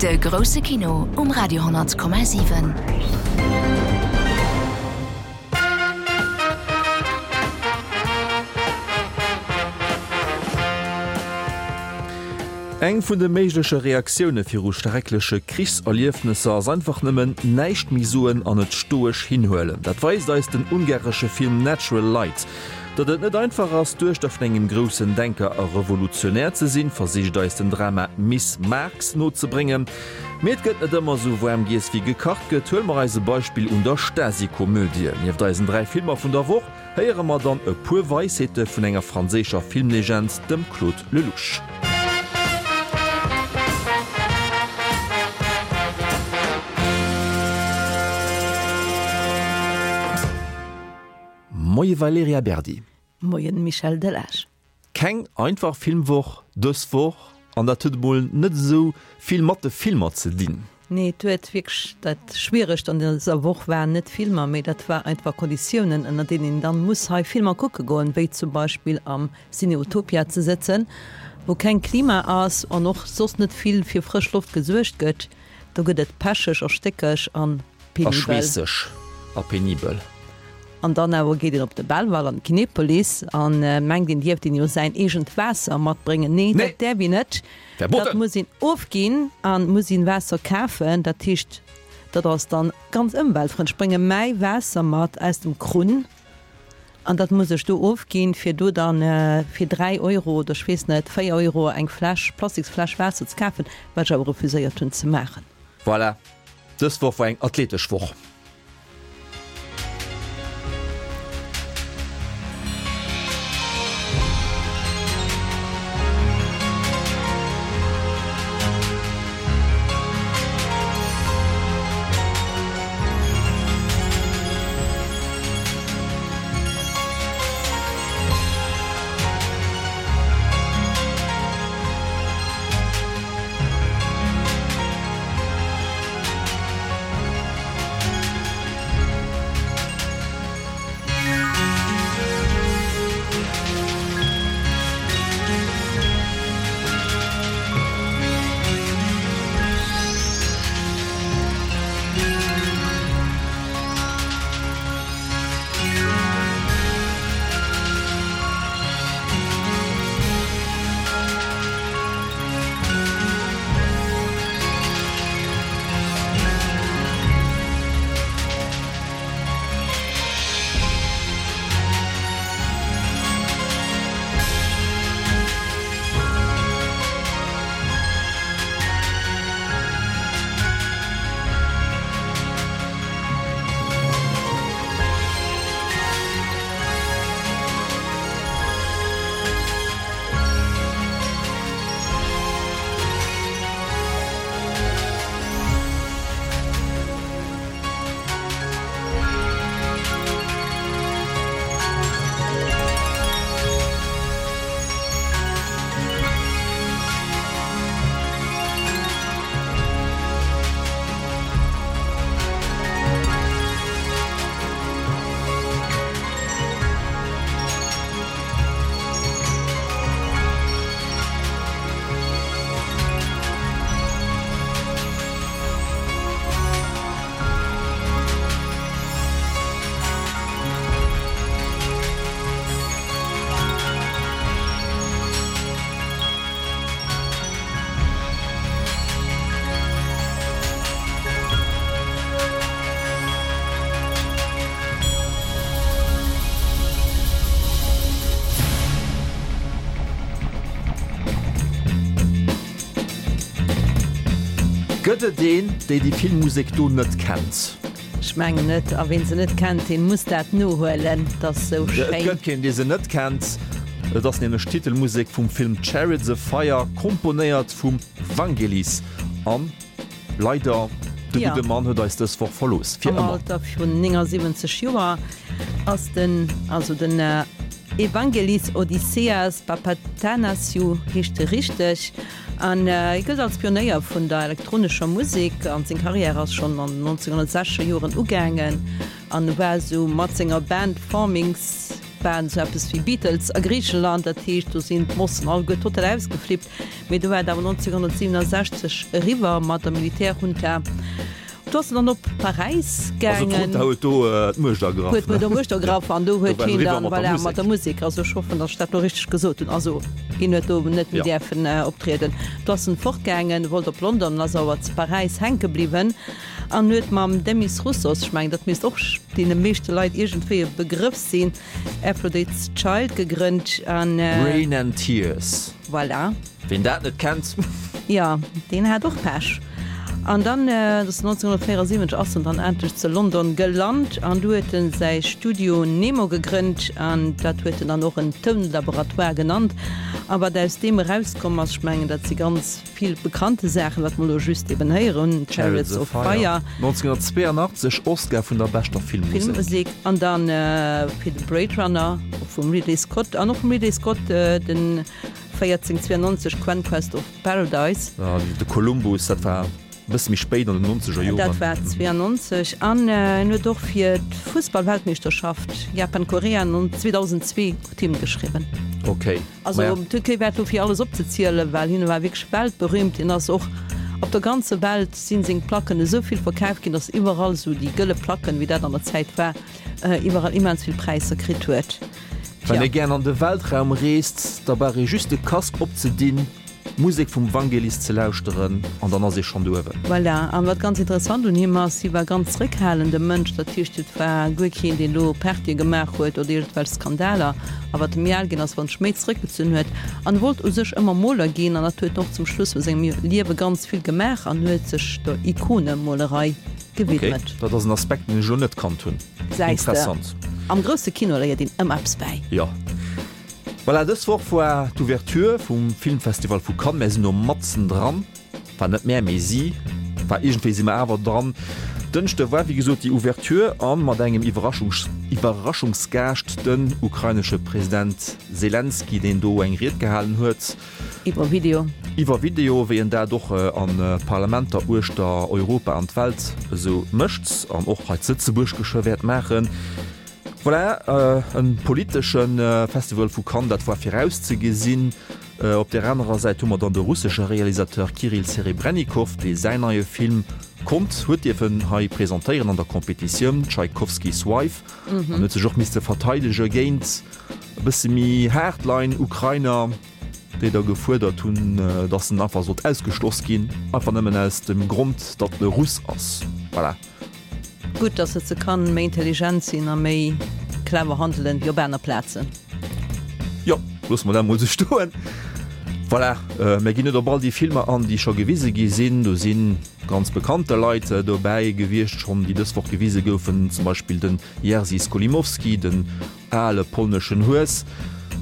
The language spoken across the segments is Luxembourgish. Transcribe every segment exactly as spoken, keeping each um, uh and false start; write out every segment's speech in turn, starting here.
De grousse Kino um Radio honnert Komma siwen. Eng vun de méigleche Reaktioune viru schreckleche Krichserliefnesser ass einfach nëmmen näischt méi soen an et stoesch hinhuelen. Dat weist eis den ungaresche Film Natural Light. Datt et net einfach ass, d'Duechter vun engem groussen Denker a Revolutionär ze sinn, versicht eis den Drama Miss Marx nozebréngen. Mee et gëtt net ëmmer esou waarm giess wéi gekacht gëtt. Huele mer eis e Beispill un der Stasi-Komödie. Nieft eisen dräi Filmer vun der Woch héiere mer dann e puer Weisheete vun enger franséischer Filmlegend, dem Claude Lelouch. Moie Valerija Berdi. Moien Michel Delage. Keng einfach Filmwoch dës Woch, an dat huet emol net esou vill mat de Filmer ze dinn. Nee, et huet wierklech, dat Schwieregst an dëser Woch waren net d'Filmer, mee dat war einfach Konditiounen, ënner deenen een dann muss hei Filmer kucke goen, wéi zum Beispill am Ciné Utopia ze sëtzen, wou keng Klima ass an och soss net vill fir frësch Loft gesuergt gëtt. Do gëtt et pecheg a stéckeg an A penibel. schweesseg a penibel. An dann awer geet een op de Belval an d'Kinepolis an mengt, een dierft een jo säin eegent Waasser matbréngen. Nee, dat däerf een net. Dat muss een ofginn an muss een Waasser kafen. Dat heescht, dat ass dann ganz ëmweltfrëndlech. Ech brénge mäi Waasser mat aus dem Krunn an dat muss ech do ofginn, fir do dann fir dräi Euro oder ech weess net, véier Euro eng Fläsch, Plastiksfläsch Waasser ze kafen, wat ech awer refuséiert hunn ze maachen. Voilà, dës Woch war eng athletesch Woch. Gëtt et een, déi déi Filmmusek do net kennt? Ech mengen net. A ween se net kennt, deen muss dat nohuelen. Et ass sou Et schéin. gëtt keen, dee se net kennt. Et ass nämlech d'Titelmusek vum Film Chariots of Fire, komponéiert vum Vangelis. An leider, de Ja. gudde Mann huet eis dës Woch verlooss. Fir Am ëmmer. Alter vun néngasiwwenzeg Joer ass den, also den Evangelis Odysseas Papathanassiou heescht e richteg, an hie gëllt als Pionéier vun der elektronescher Musek an seng Karriär ass schonn an den nonzénghonnertsechzeger Joren ugaangen an e war esou mat senger Band Forminx waren esou eppes wéi Beatles a Griicheland, dat heescht do sinn d'Mossen alleguer total ausgeflippt. Mee do war et awer nonzénghonnertsiwwenundsechzeg eriwwer mat der Militärjunta. Do ass en dann op Paräis Also gaangen. d'Junta huet do d'Muecht ergraff, Huet ne? do d'Muecht ergraff an do Do huet war et hien eriwwer dann, mat der voilà, mat Musek. der Musek. Also ech hoffen, datt ech dat elo richteg gesot hunn. Also hien huet do net méi Ja. däerfen optrieden. Do ass en fortgaangen, wollt op London an ass awer zu Paräis hänke bliwwen an huet mam Demis Roussos, ech mengen dat misst och deene meeschte Leit iergendwéi e Begrëff sinn, Aphrodite's Child gegrënnt an. Rain and Tears. Voilà. Ween dat net kennt. Jo, deen hat och Pech. An dann, dat ass nonzénghonnertvéierundsiwwenzeg, ass en dann endlech zu London gelant an du huet en säi Studio Nemo gegrënnt an dat huet en dann och en Tounlaboratoire genannt. A wat aus deem erauskomm ass, ech mengen dat si ganz vill bekannte Saachen, wat mer elo just eben héieren hunn, Chariots Chariots of of Fire, Fire. nonzénghonnertzweeanachtzeg, Oscar vun der beschter Filmmusek. Filmmusek an dann fir de Blade Runner vum Ridley Scott an och vum Ridley Scott den véierzéng zwéiangnonzeg Conquest of Paradise. De Columbus, dat war e bësse méi spéit an den nonzeger Dat Joren. war zwéiangnonzeg an en huet och fir d'Fussballweltmeeschterschaft Japan-Korea zweedausendzwee d'Hymn geschriwwen. Ok, Also maja. d'Türkei war do fir alles opzezielen, well hien war wierklech weltberühmt. Hien ass och op der ganzer Welt sinn seng Placken esou vill verkaaft ginn, datt iwwerall esou déi gëlle Placken, wéi dat an der Zäit war, iwwerall immens vill Präisser kritt huet. Wann Tja. ee gären an de Weltraum reest, da brauch ee just de Casque opzedinn, d'Musek vum Vangelis ze lauschteren an dann ass ee schonn do uewen. Voilà, an wat ganz interessant un him ass, hie war ganz zréckhalende Mënsch, dat heescht et war guer keen deen do Partye gemaach huet oder iergendwelch Skandaler. A wat e méi al ginn ass, wat en sech méi zréckgezunn huet an wollt u sech ëmmer Moler ginn an dat huet en och zum Schluss vu sengem Liewe ganz vill gemaach an huet sech der Ikonemolerei gewidmet. Ok, dat ass en Aspekt deen ech elo net kannt hunn. Gesäis de, Interessant. am grousse Kino léiert een ëmmer eppes bäi. Jo. Voilà, dës Woch war d'Ouverture vum Filmfestival vu Cannes. Mär sinn elo matzen dran. Enfin net mär, mee si. Enfin iergendwéi si mer awer dran. Dënschde war wéi gesot déi Ouverture a mat engem Iwwerraschungs Iwwerraschungsgaascht, den ukrainesche President Selenskyj, deen do eng Ried gehalen huet. Iwwer Video. Iwwer Video, wéi en dat och a Parlamenter uechter Europa an d'Welt esou mécht an och hei zu Lëtzebuerg geschwë wäert maachen. Voilà, e politesche Festival vu Cannes, dat war virauszegesinn. Op där anerer Säit hu mer dann de russesche Realisateur Kirill Serebrennikov, dee säin neie Film konnt huet dierfen hei presentéieren an der Competitioun, Tchaikovsky's Wife, an huet sech och misste verteidege géint e bësse méi Hardline-Ukrainer, déi da gefuerdert hunn, datt en einfach sollt ausgeschloss ginn, einfach nëmmen aus dem Grond, datt en e Russ ass. Voilà. Gutt, datt se ze Cannes méi intelligent sinn a méi clever handelen wéi op aner Plazen. Jo, loosse mer dat mol esou stoen. Voilà, mir ginn net op all déi Filmer an, déi scho gewise gi sinn. Do si ganz bekannte Leit dobäi gewiescht schonn, déi dës Woch gewise goufen, zum Beispill den Jerzy Skolimowski, den ale polneschen Hues.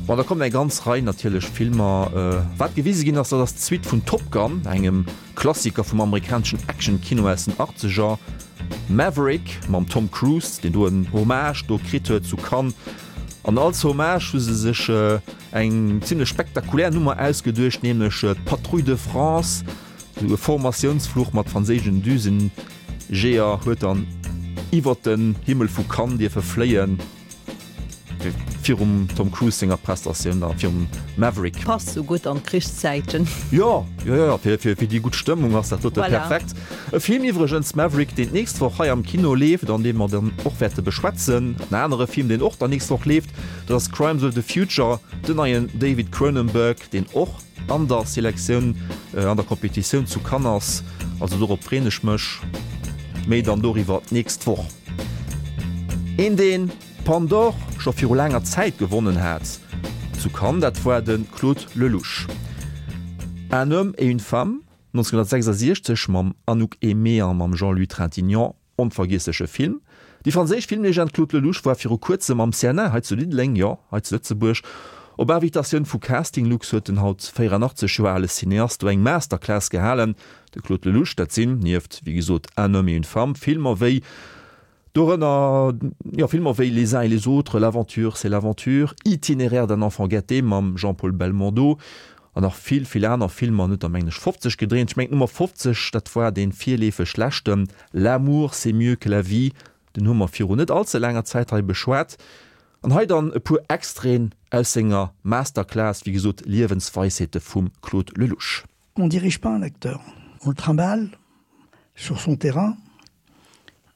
Bon, da kommen eng ganz Rei natierlech Filmer. Wat gewise ginn ass, dat ass d'Suite vun Top Gun, engem Klassiker vum amerikaneschen Action-Kino aus den Achtzeger, Maverick mam Tom Cruise, deen do en Hommage do kritt huet zu Cannes. An als Hommage hu se sech eng zimlech spektakulär Nummer ausgeduecht, nämlech d'Patrouille de France, esou e Formatiounsfluch mat franséischen Düsenjeeër huet dann iwwert den Himmel vu Cannes dierfe fléien, virum Tom Cruise senger Prestatioun da virum Maverick. Passt sou gutt an d'Krichszäiten. Jo, jo, jo, fir, fir, fir déi gutt Stëmmung ass dat dote Voilà. perfekt. E Film iwwregens, Maverick, deen d'nächst Woch hei am Kino leeft an dee mer dann och wäerte beschwätzen. En anere Film, deen och dann nächst Woch leeft, dat ass Crimes of the Future, den neien David Cronenberg, deen och an der Selektioun, an der Competitioun zu Cannes ass. Also dorop freen ech mech. Méi dann doriwwer d'nächst Woch. Een, deen d'Palme d'Or scho viru laanger Zäit gewonnen hat zu Cannes, dat war de Claude Lelouch. Un homme et une femme, neunzehnhundertsechsundsechzeg mam Anouk Aimée a mam Jean-Louis Trintignant, onvergiessleche Film. Déi franséisch Filmlegend Claude Lelouch war viru kuerzem am C N A hei zu Diddeleng, jo, hei zu Lëtzebuerg. Op Invitatioun vu Casting Lux huet den haut véierannachtzeg Joer ale Cineast do eng Masterclass gehalen. De Claude Lelouch, dat sinn, nieft, wéi gesot, Un homme et une femme, Filmer wéi dorënner, jo, Filmer wéi Les uns et les autres, L'aventure, c'est l'aventure, Itinéraire d'un enfant gâté mam Jean-Paul Belmondo an nach vill, vill aner Filmer. En huet der, mengen ech, fofzeg gedréint. Ech mengen, d'Nummer fofzeg, dat war dee virleefeg leschten, L'amour, c'est mieux que la vie, den hu mer viru net allze laanger Zäit hei beschwat. An hei dann e puer Extraiten aus senger Masterclass, wéi gesot Liewensweisheete vum Claude Lelouch. On dirige pas un acteur. On le trimballe sur son terrain.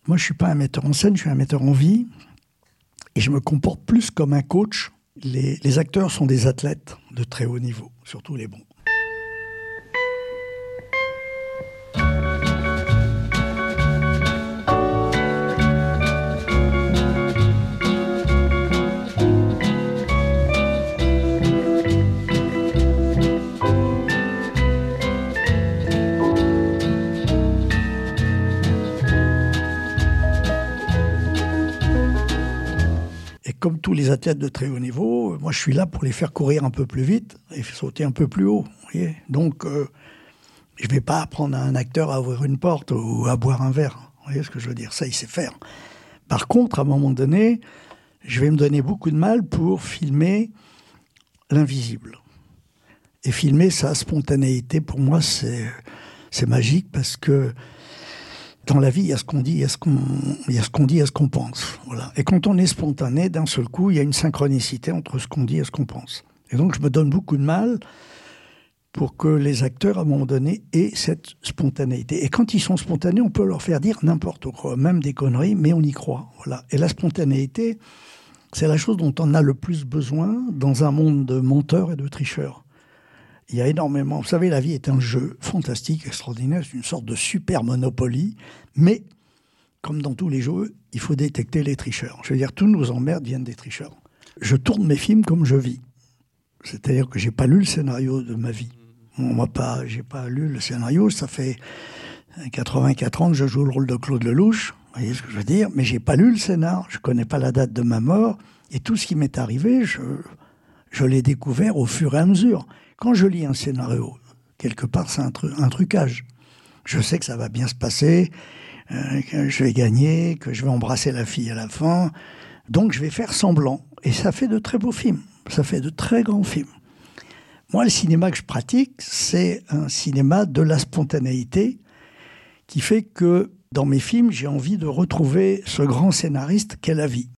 Moi, je suis pas un metteur en scène, je suis un metteur en vie. Et je me comporte plus comme un coach. Les, les acteurs sont des athlètes de très haut niveau, surtout les bons. Et comme tous les athlètes de très haut niveau, moi je suis là pour les faire courir un peu plus vite et sauter un peu plus haut. Voyez Donc euh, je vais pas apprendre à un acteur à ouvrir une porte ou à boire un verre. Vous voyez ce que je veux dire Ça, il sait faire. Par contre, à un moment donné, je vais me donner beaucoup de mal pour filmer l'invisible. Et filmer sa spontanéité, pour moi, c'est magique parce que dans la vie, il y a ce qu'on dit, il y a ce qu'on il y a ce qu'on dit et ce qu'on pense. Voilà. Et quand on est spontané, d'un seul coup, il y a une synchronicité entre ce qu'on dit et ce qu'on pense. Et donc, je me donne beaucoup de mal pour que les acteurs, à un moment donné, aient cette spontanéité. Et quand ils sont spontanés, on peut leur faire dire n'importe quoi, même des conneries, mais on y croit. Voilà. Et la spontanéité, c'est la chose dont on a le plus besoin dans un monde de menteurs et de tricheurs. Il y a énormément. Vous savez, la vie est un jeu fantastique, extraordinaire, c'est une sorte de super monopoly, mais comme dans tous les jeux, il faut détecter les tricheurs. Je veux dire, tous nos emmerdes viennent des tricheurs. Je tourne mes films comme je vis. C'est-à-dire que j'ai pas lu le scénario de ma vie. On m'a pas, j'ai pas lu le scénario. Ça fait quatre-vingt-quatre ans que je joue le rôle de Claude Lelouch. Vous voyez ce que je veux dire? Mais j'ai pas lu le scénar. Je connais pas la date de ma mort. Et tout ce qui m'est arrivé, je, je l'ai découvert au fur et à mesure. Quand je lis un scénario, quelque part, c'est un, tru un trucage. Je sais que ça va bien se passer, euh, que je vais gagner, que je vais embrasser la fille à la fin. Donc, je vais faire semblant. Et ça fait de très beaux films. Ça fait de très grands films. Moi, le cinéma que je pratique, c'est un cinéma de la spontanéité qui fait que, dans mes films, j'ai envie de retrouver ce grand scénariste qu'est la vie.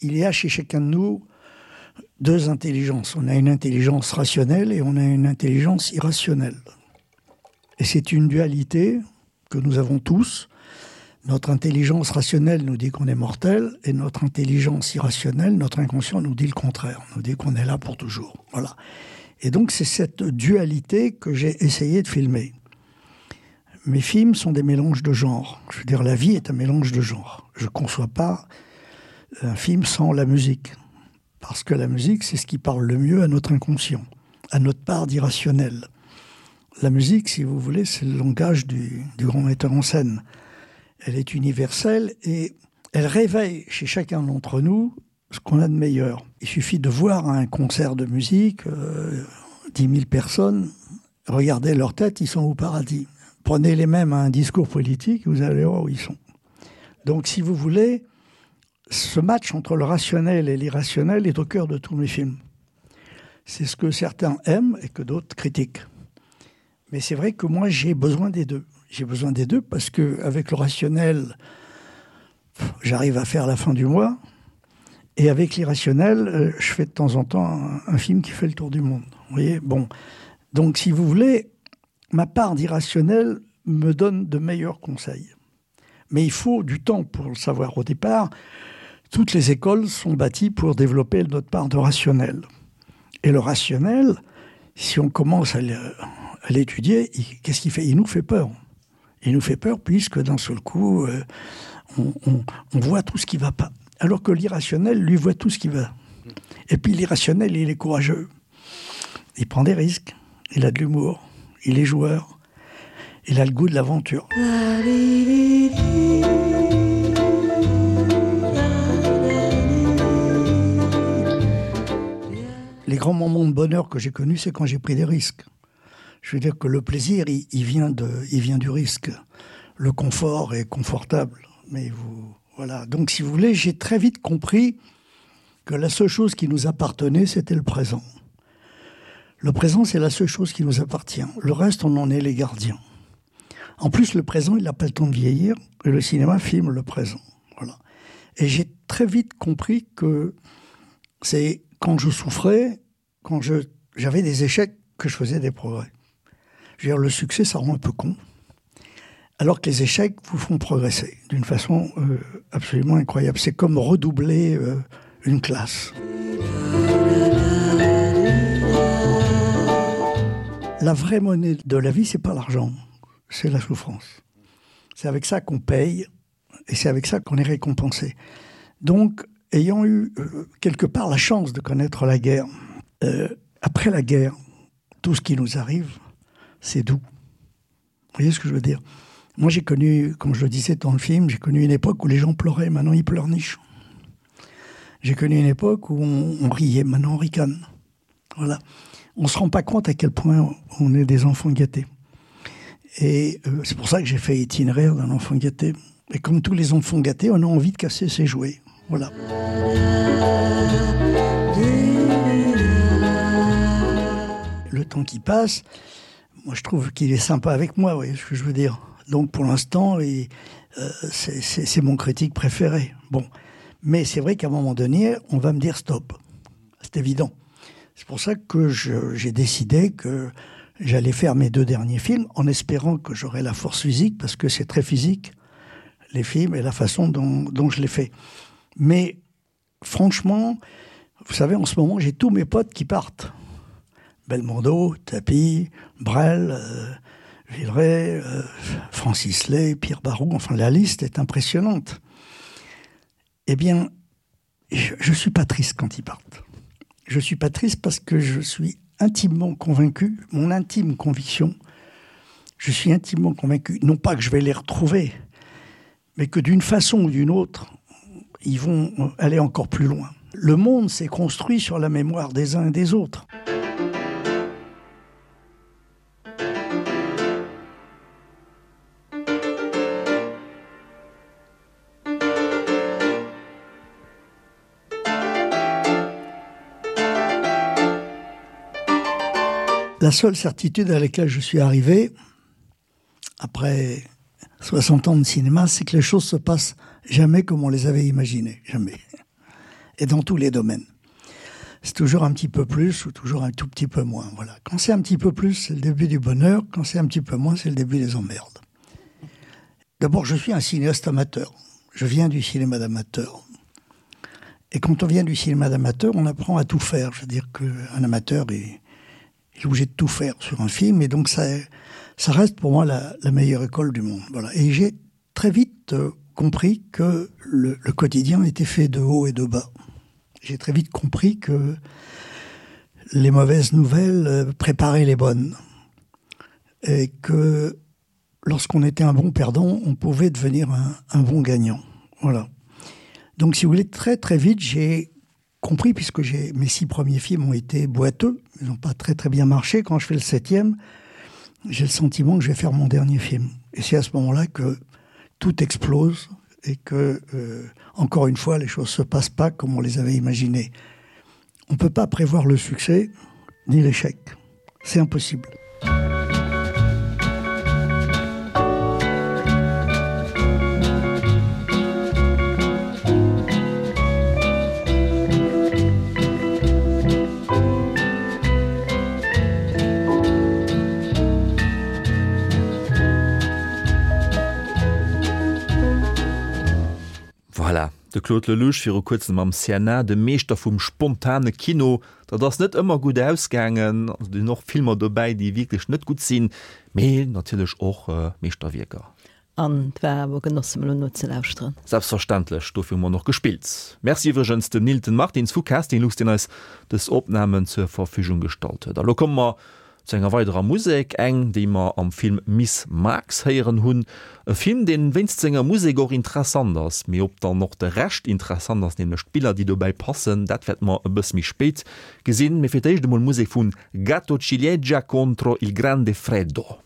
Il y a chez chacun de nous deux intelligences. On a une intelligence rationnelle et on a une intelligence irrationnelle. Et c'est une dualité que nous avons tous. Notre intelligence rationnelle nous dit qu'on est mortel et notre intelligence irrationnelle, notre inconscient nous dit le contraire, nous dit qu'on est là pour toujours. Voilà. Et donc c'est cette dualité que j'ai essayé de filmer. Mes films sont des mélanges de genres. Je veux dire, la vie est un mélange de genres. Je ne conçois pas un film sans la musique. Parce que la musique, c'est ce qui parle le mieux à notre inconscient, à notre part d'irrationnel. La musique, si vous voulez, c'est le langage du, du grand metteur en scène. Elle est universelle et elle réveille chez chacun d'entre nous ce qu'on a de meilleur. Il suffit de voir un concert de musique, euh, dix mille personnes, regardez leur tête, ils sont au paradis. Prenez les mêmes à un discours politique, vous allez voir où ils sont. Donc, si vous voulez, ce match entre le rationnel et l'irrationnel est au cœur de tous mes films. C'est ce que certains aiment et que d'autres critiquent. Mais c'est vrai que moi, j'ai besoin des deux. J'ai besoin des deux parce qu'avec le rationnel, j'arrive à faire la fin du mois. Et avec l'irrationnel, je fais de temps en temps un, un film qui fait le tour du monde. Vous voyez ? Bon. Donc, si vous voulez, ma part d'irrationnel me donne de meilleurs conseils. Mais il faut du temps pour le savoir. Au départ, toutes les écoles sont bâties pour développer notre part de rationnel. Et le rationnel, si on commence à l'étudier, qu'est-ce qu'il fait ? Il nous fait peur. Il nous fait peur puisque d'un seul coup, euh, on, on, on voit tout ce qui ne va pas. Alors que l'irrationnel, lui, voit tout ce qui va. Et puis l'irrationnel, il est courageux. Il prend des risques, il a de l'humour, il est joueur, il a le goût de l'aventure. Les grands moments de bonheur que j'ai connus, c'est quand j'ai pris des risques. Je veux dire que le plaisir, il, il, vient de, il vient du risque. Le confort est confortable, mais vous voilà. Donc si vous voulez, j'ai très vite compris que la seule chose qui nous appartenait, c'était le présent. Le présent, c'est la seule chose qui nous appartient. Le reste, on en est les gardiens. En plus, le présent, il n'a pas le temps de vieillir et le cinéma filme le présent. Voilà. Et j'ai très vite compris que c'est quand je souffrais, quand j'avais des échecs, que je faisais des progrès. Je veux dire, le succès, ça rend un peu con. Alors que les échecs vous font progresser d'une façon euh, absolument incroyable. C'est comme redoubler euh, une classe. La vraie monnaie de la vie, c'est pas l'argent, c'est la souffrance. C'est avec ça qu'on paye et c'est avec ça qu'on est récompensé. Donc, ayant eu euh, quelque part la chance de connaître la guerre, euh, après la guerre, tout ce qui nous arrive, c'est doux. Vous voyez ce que je veux dire Moi, j'ai connu, comme je le disais dans le film, j'ai connu une époque où les gens pleuraient, maintenant ils pleurnichent. J'ai connu une époque où on, on riait, maintenant on ricane. Voilà. On se rend pas compte à quel point on est des enfants gâtés. Et euh, c'est pour ça que j'ai fait itinéraire d'un enfant gâté. Et comme tous les enfants gâtés, on a envie de casser ses jouets. Voilà. Le temps qui passe, moi je trouve qu'il est sympa avec moi, vous voyez ce que je veux dire. Donc pour l'instant, euh, c'est mon critique préféré. Bon. Mais c'est vrai qu'à un moment donné, on va me dire stop. C'est évident. C'est pour ça que j'ai décidé que j'allais faire mes deux derniers films en espérant que j'aurais la force physique, parce que c'est très physique, les films et la façon dont, dont je les fais. Mais franchement, vous savez, en ce moment, j'ai tous mes potes qui partent. Belmondo, Tapi, Brel, euh, Villeray, euh, Francis Lay, Pierre Barou, enfin la liste est impressionnante. Eh bien, je ne suis pas triste quand ils partent. Je suis pas triste parce que je suis intimement convaincu, mon intime conviction, je suis intimement convaincu, non pas que je vais les retrouver, mais que d'une façon ou d'une autre, ils vont aller encore plus loin. Le monde s'est construit sur la mémoire des uns et des autres. La seule certitude à laquelle je suis arrivé, après soixante ans de cinéma, c'est que les choses se passent jamais comme on les avait imaginées, jamais. Et dans tous les domaines. C'est toujours un petit peu plus ou toujours un tout petit peu moins. Voilà. Quand c'est un petit peu plus, c'est le début du bonheur. Quand c'est un petit peu moins, c'est le début des emmerdes. D'abord, je suis un cinéaste amateur. Je viens du cinéma d'amateur. Et quand on vient du cinéma d'amateur, on apprend à tout faire. Je veux dire qu'un amateur est, est obligé de tout faire sur un film. Et donc, ça, ça reste pour moi la, la meilleure école du monde. Voilà. Et j'ai très vite euh, compris que le, le quotidien était fait de haut et de bas. J'ai très vite compris que les mauvaises nouvelles euh, préparaient les bonnes. Et que lorsqu'on était un bon perdant, on pouvait devenir un, un bon gagnant. Voilà. Donc, si vous voulez, très très vite, j'ai compris, puisque j'ai, mes six premiers films ont été boiteux, ils n'ont pas très très bien marché. Quand je fais le septième, j'ai le sentiment que je vais faire mon dernier film. Et c'est à ce moment-là que tout explose et que, euh, encore une fois, les choses ne se passent pas comme on les avait imaginées. On ne peut pas prévoir le succès ni l'échec. C'est impossible. Voilà, de Claude Lelouch viru kuerzem am C N A, de Meeschter vum spontane Kino. Dat ass net ëmmer gutt ausgaangen. Also, do sinn och Filmer dobäi, déi wierklech net gutt sinn, mee natierlech och Meeschterwierker. An et war awer e Genoss, em elo nozelauschteren. Selbstverständlech, dofir hu mer och gespillt. Merci iwwregens dem Nilton Martins vu Casting Lux, deen eis dës Opnamen zur Verfügung gestallt huet. A lo komme mer Zu enger weiderer Musek, eng, déi mer am Film Miss Marx héieren hunn. E Film, deen wéinst senger Musek och interessant ass, mee ob dann och de Rescht interessant ass, nämlech d'Biller, déi dobäi passen, dat wäerte mer e bësse méi spéit gesinn. Mee fir d'éischt emol Musek vu Gatto Ciliegia contro il grande freddo.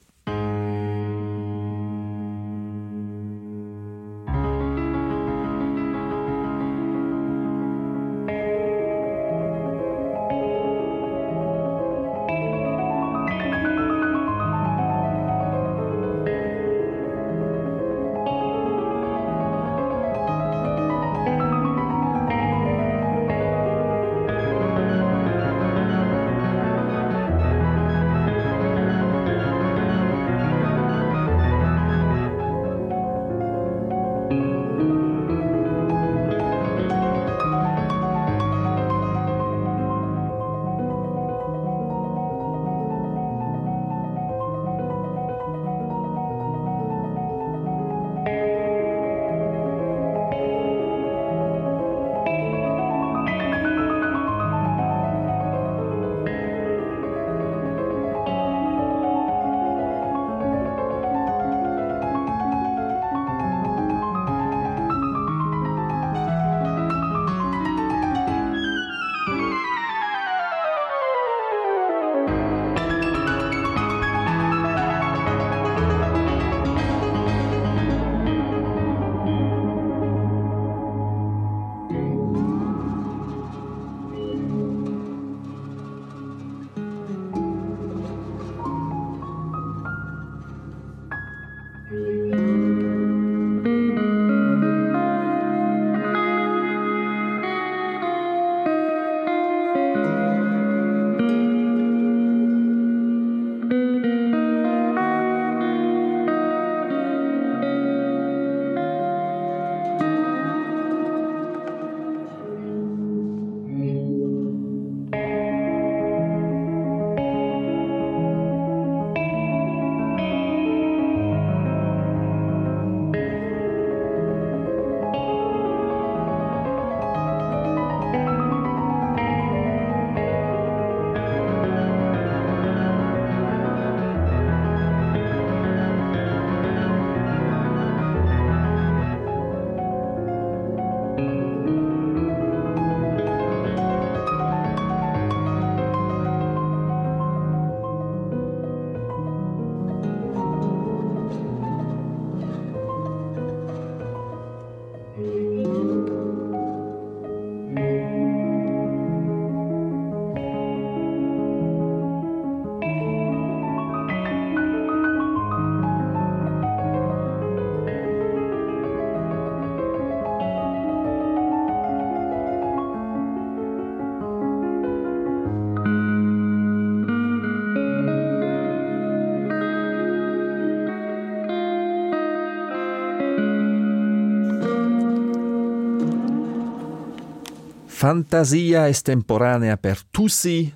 Fantasia estemporanea per Tussi,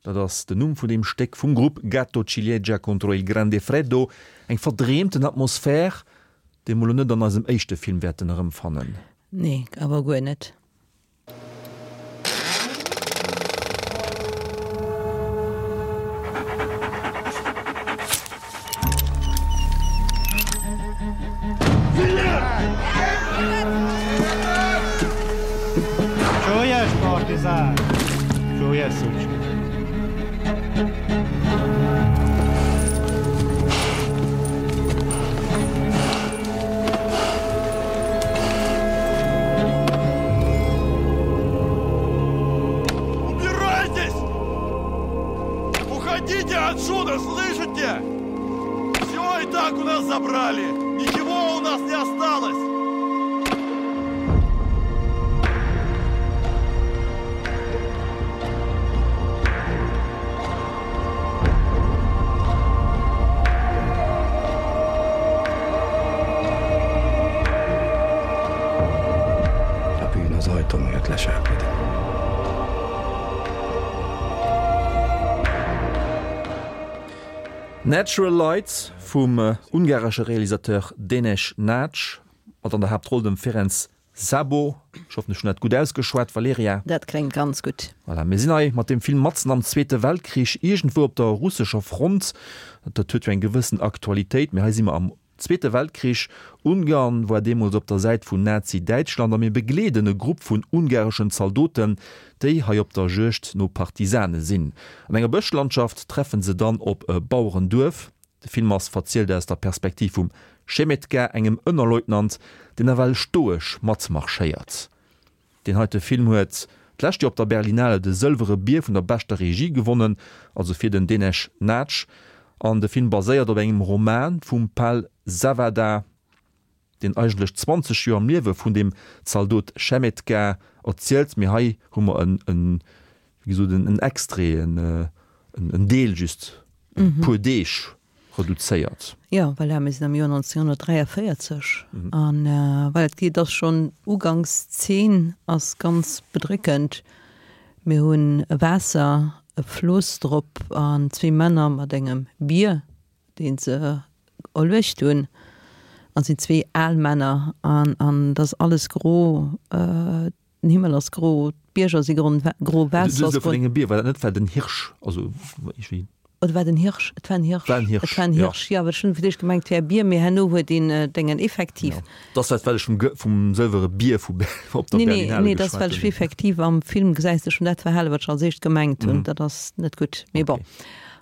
dat ass den Numm vun deem Stéck vum Grupp Gatto Ciliegia contro il grande freddo, eng verdreemten Atmosphär, déi mer elo net an eisem éischte Film wäerten erëmfannen. Nee, awer guer net. Уходите отсюда, слышите? Все и так у нас забрали. Ничего у нас не осталось. A bűn az ajtó mögött leselkedik. Natural Light vum ungaresche Realisateur Dénes Nagy, mat an der Haaptroll dem Ferenc Szabo. Ech hoffen, ech hunn dat gutt ausgeschwat, Valerija. Dat kléngt ganz gutt. Voilà, mir sinn hei mat deem Film matzen am Zweete Weltkrich, iergendwou op der russescher Front. Dat huet jo eng gewëssen Aktualitéit, mee hei si mer am Zweete Weltkrich. Ungarn war deemools op der Säit vun Nazi-Däitschland a mir begleeden e Grupp vun ungareschen Zaldoten, déi hei op der Juegd no Partisane sinn. An enger Bëschlandschaft treffen se dann op e Bauerenduerf. De Film ass verzielt aus der Perspektiv vum Schemetka, engem Ënnerleutnant, deen nawell stoesch matmarschéiert. Deen heite Film huet d'lescht Joer op der Berlinale de Sëlwere Bier vun der beschter Regie gewonnen, also fir den Dénes Nagy. An de Film baséiert op engem Roman vum Pal Zawada, deen eigentlech zwanzeg Joer am Liewe vun deem Zaldot Schemetka erzielt. Mee hei hu mer en, en, wéi gesot, en Extrait, en, en Deel just, e puer Deeg reduzéiert. Jo, voilà, mir sinn am Joer neunzehnhundertdräiavéierzeg an voilà, et geet, ass schonn Ugangszeen ass ganz bedréckend. Mir hunn e Waasser, e Floss drop an zwee Männer mat engem Bier, dee se erluecht hunn, an et sinn zwee al Männer an an et ass alles gro, den Himmel ass gro, d'Bierger si gro, gro, Waasser ass gro. Vun engem Bier, war dat net war den Hirsch, also iergendwéi? Oder war den Hirsch? Et war en Hirsch. War en Hirsch, Et war en Hirsch, jo. Ech hunn fir d'éischt gemengt, et wär e Bier, mee herno huet een Déngen effektiv. Jo, dat ass dat, well ech vum, vum sëlwere Bier vu, op der Nee, nee, Berlinale nee, dat ass, well geschwat ech hunn. effektiv am Film gesäis de schonn dat Verhale, wat ech als éischt gemengt hunn. Dat ass net gutt, mee bon.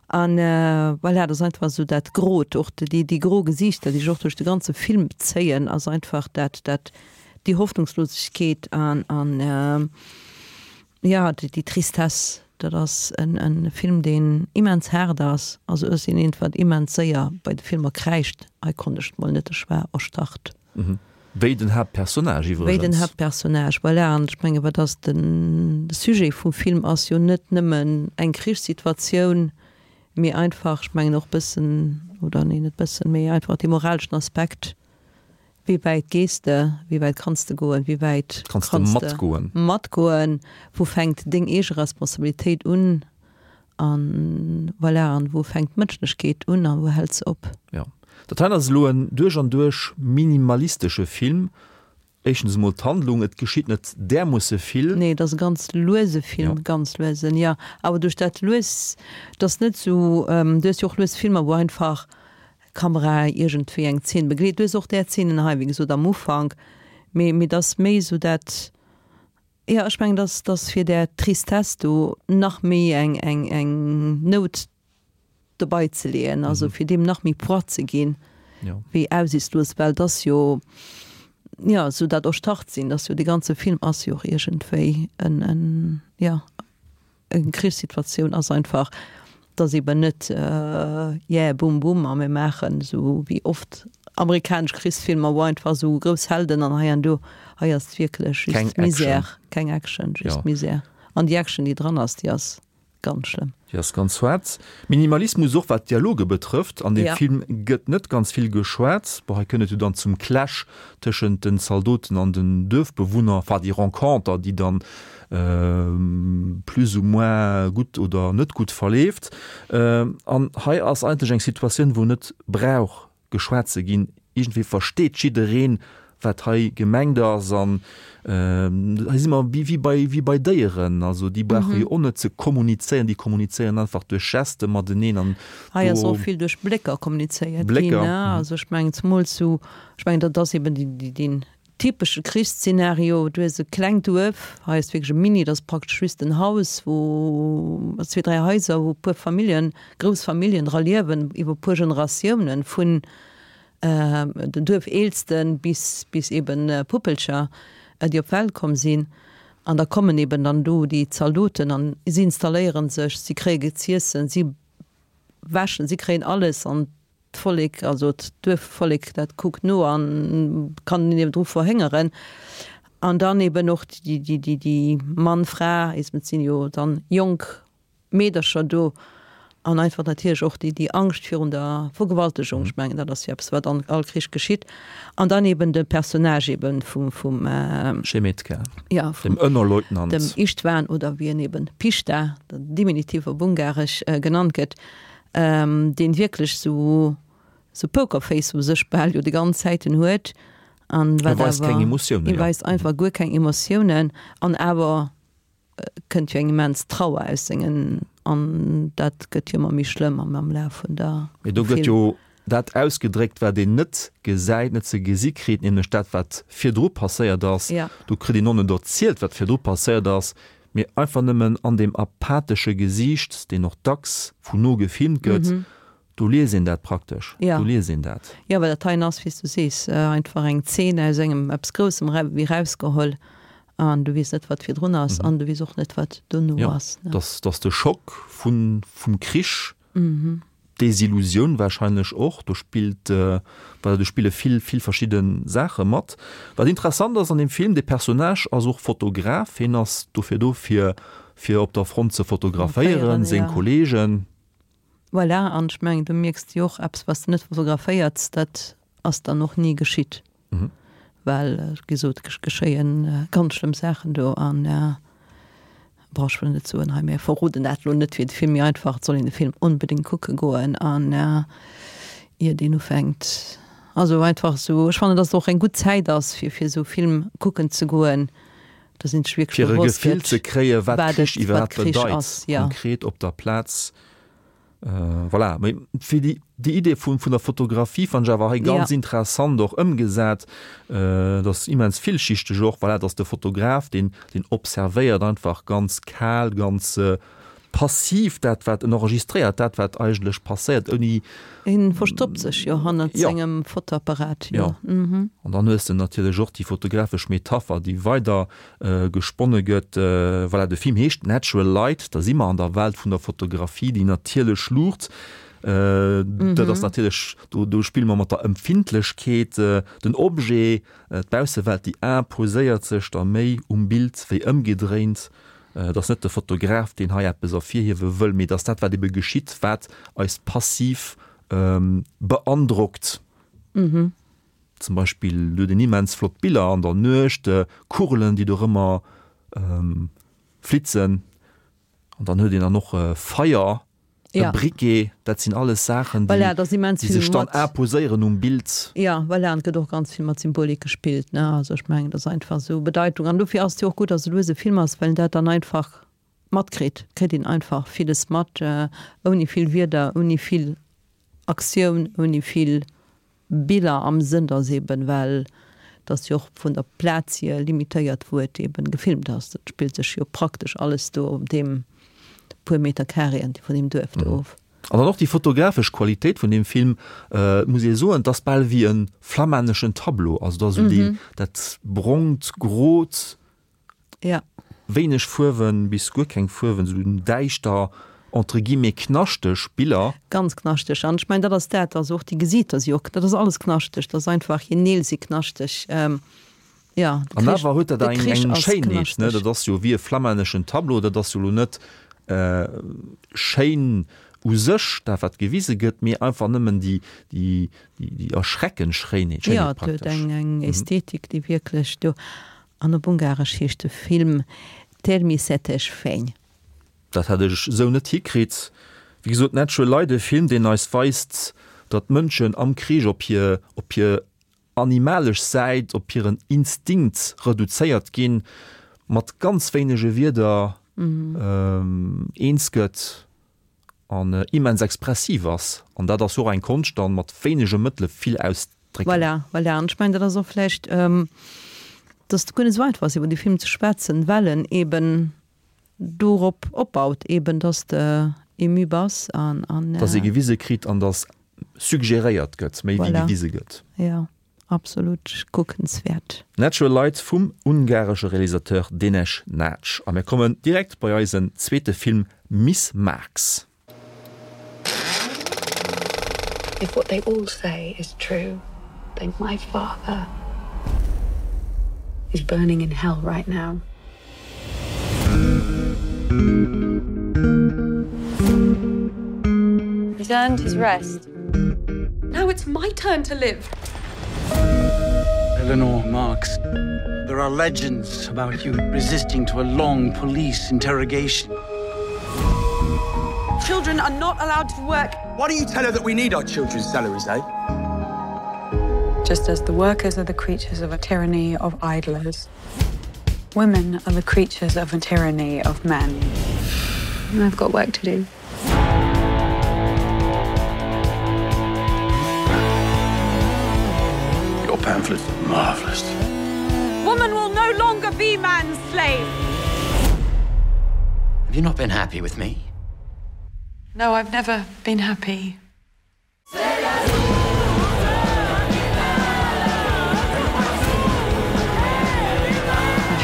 An voilà, dat ass einfach esou dat Grot, och déi, déi gro Gesiichter, déi sech och duerch de ganze Film zéien, ass einfach dat, dat, déi Hoffnungslosegkeet an, an, jo, déi Tristesse. Dat ass en Film, deen immens haart ass. Also ech sinn eent, wat immens séier bei de Filmer kräischt. Hei konnt ech et mol net, ech war erstarrt. Wéi den Haaptpersonnage iwwregens. Wéi den Haaptpersonnage, voilà. An ech menge wat ass den Sujet vum Film ass jo net nëmmen eng Krichssituatioun, mee einfach, ech mengen och bëssen, oder nee net bëssen, mee einfach dee moraleschen Aspekt. Wéi wäit gees de? Wéi wäit kanns de goen? Wéi wäit Kanns de matgoen? matgoen? Wou fänkt deng eege Responsabilitéit un? An voilà, an wou fänkt d'Mënschlechkeet un a wou hält se op? Jo, dat hei ass elo en duerch an duerch minimalistesche Film. Éischtens emol d'Handlung, et geschitt net därmoosse vill. Nee, et ass e ganz luese Film, ganz luesen, jo. Awer duerch dat lues, et ass net esou, du hues jo och lues Filmer, wou einfach Kamera iergendwéi eng Zeen begleet. Du hues och där Zeenen hei, wéi gesot, am Ufank, mee mee et ass méi esou dat, jo, ech mengen, dass dass fir där Tristesse do nach méi eng eng eng Nout dobei ze leeën, also fir deem nach méi Poids ze ginn, wéi aussichtslos, well et ass jo, jo, esou dat Erstarrt sinn, dass jo dee ganze Film ass jo och iergendwéi en en, jo. Eng Krichssituatioun ass einfach, dass eben net yeah bum bum a mir maachen esou wéi oft amerikanesch Krichsfilmer, wou einfach esou grouss Helden an hei an do. Hei ass et wierklech just Misär, keng Action, just Misär. An déi Action, déi dran ass, déi ass ganz schlëmm. Déi ass ganz haart. Minimalismus och wat d'Dialoge betrëfft. An deem Film gëtt net ganz vill geschwat. Bon, hei kënnt et jo dann zum Clash tëschent den Zaldoten an den Duerfbewunner, enfin déi Renconter, déi dann plus ou moins gutt oder net gutt verleeft. An hei ass eigentlech eng Situatioun, wou net brauch geschwat ze ginn. Iergendwéi versteet jiddereen, wat hei gemengt ass. An hei si mer wéi bei, wéi bei Déieren. Also déi brauche jo och net ze kommunizéieren, déi kommunizéieren einfach duerch Geste mateneen. An hei ass och vill duerch Blécker kommunizéiert ginn. Also ech mengen zemools sou, ech mengen dat ass eben déi, deen Typesche Krichsszenario, du hues e klengt Duerf, hei ass wierklech e Mini, dat ass praktesch just en Haus, wou zwee, dräi Haiser, wou e puer Familljen, grouss Familljen dra liewen, iwwer e puer Generatiounen, vun den Duerfeelsten bis, bis eben Puppelcher, déi op d'Welt komm sinn. An da kommen eben dann do déi Zaldoten an si installéiere sech, si kréie z'iessen, si wäschen, si kréien alles an D'Vollek, also d'Duerfvollek, dat kuckt no a kann niewendru verhéngeren. An dann eben och déi Mann, Fra, et sinn jo dann jonk Meedercher do, an einfach natierlech och déi Angscht virun der Vergewaltegung. Ech mengen, dat ass jo eppes, wat an all Krich geschitt. An dann eben de Personnage eben vum, vum. Schemetka, ja, dem Ënnerleutnant. Dem István, oder wéi en eben Pista, den Diminutiv op Ungaresch, genannt gëtt. Deen wierklech sou sou Pokerface u sech bal jo déi ganz Zäiten huet An E wat weist keng awer, Emotiounen, e jo. weist einfach guer keng Emotiounen an awer kënnt jo eng immens Trauer aus sengen an dat gëtt jo ëmmer méi schlëmm am am Laf vun der Mee do vum gëtt Film. jo dat ausgedréckt, wat een net gesäit, net ze gesi kritt, nämlech dat, wat virdru passéiert ass. Ja. Do kritt een och net erzielt, wat virdru passéiert ass, mee einfach nëmmen an deem apathesche Gesiicht, deen och dacks vun no gefilmt gëtt, do liest een dat praktesch. Ja. Do liest een dat. Ja, well dat heien ass, wéi s du sees, einfach eng Zeen aus engem eppes Groussem wéi rausgeholl an du weess net, wat virdrun ass an du weess och net, wat dono Ja, ass, ne? dass, dass de Schock vun, vum Krich, d'Desillusioun wahrscheinlech och, do spillt, voilà, do spille vill, vill verschidde Saache mat. Wat interessant ass an deem Film, de Personnage ass och Fotograf, hien ass dofir do, fir, fir op der Front ze fotograféieren, seng ja. Kollegen. Voilà, an ech mengen, do mierks de jo och eppes, wat s de net fotograféierts, dat ass dann och ni geschitt. Mhm. Well, wéi gesot, et geschéien ganz schlëmm Saachen do an bon, ech wëll net soen hei, mir verroden dat elo net fir de Film, mee einfach, et soll een de Film onbedéngt kucke goen an iert een ufänkt, also einfach esou, ech fannen, dass et och eng gutt Zäit ass, fir fir esou Film kucken ze goen, dass een sech wierklech Fir e bewosst Gefill gëtt, ze kréien, wat wat Krich et, wat iwwerhaapt Krich bedeit, ass, ja. konkret op der Plaz. Voilà, mee fir déi, déi Idee vun, vun der Fotografie fand ech awer hei ganz Ja. interessant och ëmgesat. Dat ass immens villschichteg och, voilà, dass de Fotograf, deen, deen observéiert einfach ganz kal, ganz passiv dat, wat en enregistréiert, dat, wat eigentlech passéiert, ouni. Hien verstoppt sech jo hannert Ja. sengem Fotoapparat, jo. Ja. Mhm. An dann hues de natierlech och déi fotografesch Metapher, déi weider gesponne gëtt. Voilà, de Film heescht Natural Light, da si mer an der Welt vun der Fotografie, déi natierlech Luucht. Dat ass natierlech, do, do spille mer mat der Empfindlechkeet, den Objet, d'Baussewelt, déi imposéiert sech da méi um Bild wéi ëmgedréint. Et ass net de Fotograf, deen hei eppes ervirhiewe wëll, mee et ass dat, wat ebe geschitt, wat eis passiv beandrockt. Zum Beispill huet en immens flott Biller an der Nuecht, Kugelen, déi dorëmmer flitzen. An dann huet een dann och Feier, e Briquet, dat sinn alles Saachen, déi Voilà, et ass immens déi vill sech dann mat. imposéieren um Bild. Ja, voilà, an et gëtt och ganz vill mat Symbolik gespillt, ne. Also ech mengen, et ass einfach esou Bedeitung. An dofir ass et jo och gutt, datt et e luese Film ass, well een dat dann einfach matkritt. Et kritt een einfach villes mat, ouni vill Wierder, ouni vill Aktioun, ouni vill Biller am Sënn, datt eben, well et ass jo och vun der Plaz hier limitéiert, wou et eben gefilmt ass. Dat spillt sech jo praktesch alles do op deem puer Meter Carréen vun deem Duerf do of. An dann och déi fotografesch Qualitéit vun deem Film, et muss ee soen, et ass bal wéi e flammänneschen Tableau, also et ass esou déi, dat brongt, grot, Ja. wéineg Fuerwen bis guer keng Fuerwen, esou däischter, entre guillemets knaschteg Biller. Ganz knaschteg. An ech mengen, dat ass dat, also och déi Gesiiter si och, dat ass alles knaschteg, dat ass einfach, hir Neel si knaschteg. Ja, de An Krich, awer huet dat de eng, Krich eng ass Schéinheet, ne? knaschteg. Dat ass jo wéi e flammänneschen Tableau, dat ass jo elo net schéin u sech, dat wat gewise gëtt, mee einfach nëmmen déi, déi, déi, déi erschreckend Schéinheet, Ja, Schéinheet et huet praktesch. eng, eng Ästhetik, déi wierklech do. An op Ungaresch heescht de Film Természetes fény. Dat hätt ech esou net hikritt. Wéi gesot, Natural Light, e Film, deen eis weist, datt d'Mënschen am Krich op hir, op hir animalesch Säit, op hiren Instinkt reduzéiert ginn, mat ganz wéinege Wierder eens gëtt an immens expressiv ass. An dat ass jo och eng Konscht, dann mat wéinege Mëttele vill ausdrécken. Voilà, voilà. An ech mengen, dat ass och vläicht, datt et guer net esou einfach ass, iwwer dee Film ze schwätzen, well en eben dorop opbaut, eben datt de ému bass an, an. Datt ee gewise kritt an datt suggeréiert gëtt, méi wéi Voilà. gewise gëtt. Jo, absolut kuckenswäert. Natural Light vum ungaresche Realisateur Dénes Nagy. A mir kommen direkt bei eisen zweete Film Miss Marx. If what they all say is true, then my father is burning in hell right now. He's earned his rest. Now it's my turn to live. Eleanor Marx, there are legends about you resisting to a long police interrogation. Children are not allowed to work. Why don't you tell her that we need our children's salaries, eh? Just as the workers are the creatures of a tyranny of idlers, women are the creatures of a tyranny of men. I've got work to do. Your pamphlet marvelous. Woman will no longer be man's slave. Have you not been happy with me? No, I've never been happy. The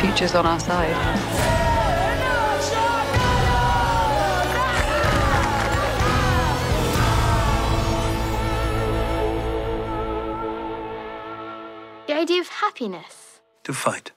future's on our side. The idea of happiness. To fight.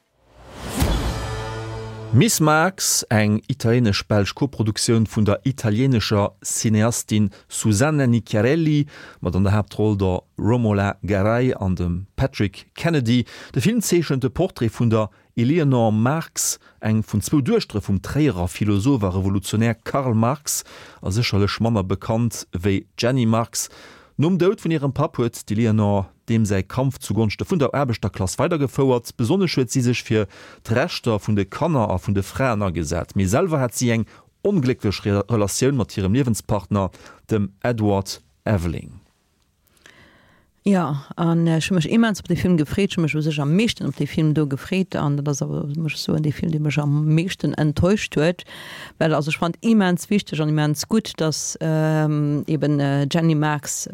Miss Marx, eng italieenesch-belsch Koproduktioun vun der italieenescher Cineastin Susanna Nicchiarelli, mat an der Haaptroll der Romola Garai an dem Patrick Kennedy. De Film zeechent de Portrait vun der Eleanor Marx, eng vun zwou Duechtere vum Tréierer Philosoph a Revolutionär Karl Marx, a sécherlech manner bekannt wéi d'Jenny Marx. Nom Doud vun hirem Papp huet d'Eleanor deem säi Kampf zugonschte vun der Aarbechterklass weidergefouert. Besonnesch huet si sech fir d'Rechter vun de Kanner a vun de Fraen agesat. Mee selwer hat si eng onglécklech Relatioun mat hirem Liewenspartner, dem Edward Aveling. Jo, an ech hu mech immens op dee Film gefreet. Ech hu mech u sech am meeschten op dee Film do gefreet an dat ass awer, muss ech soen, dee Film, dee mech am meeschten enttäuscht huet. Well also ech fand immens wichteg an immens gutt, datt eben d'Jenny Marx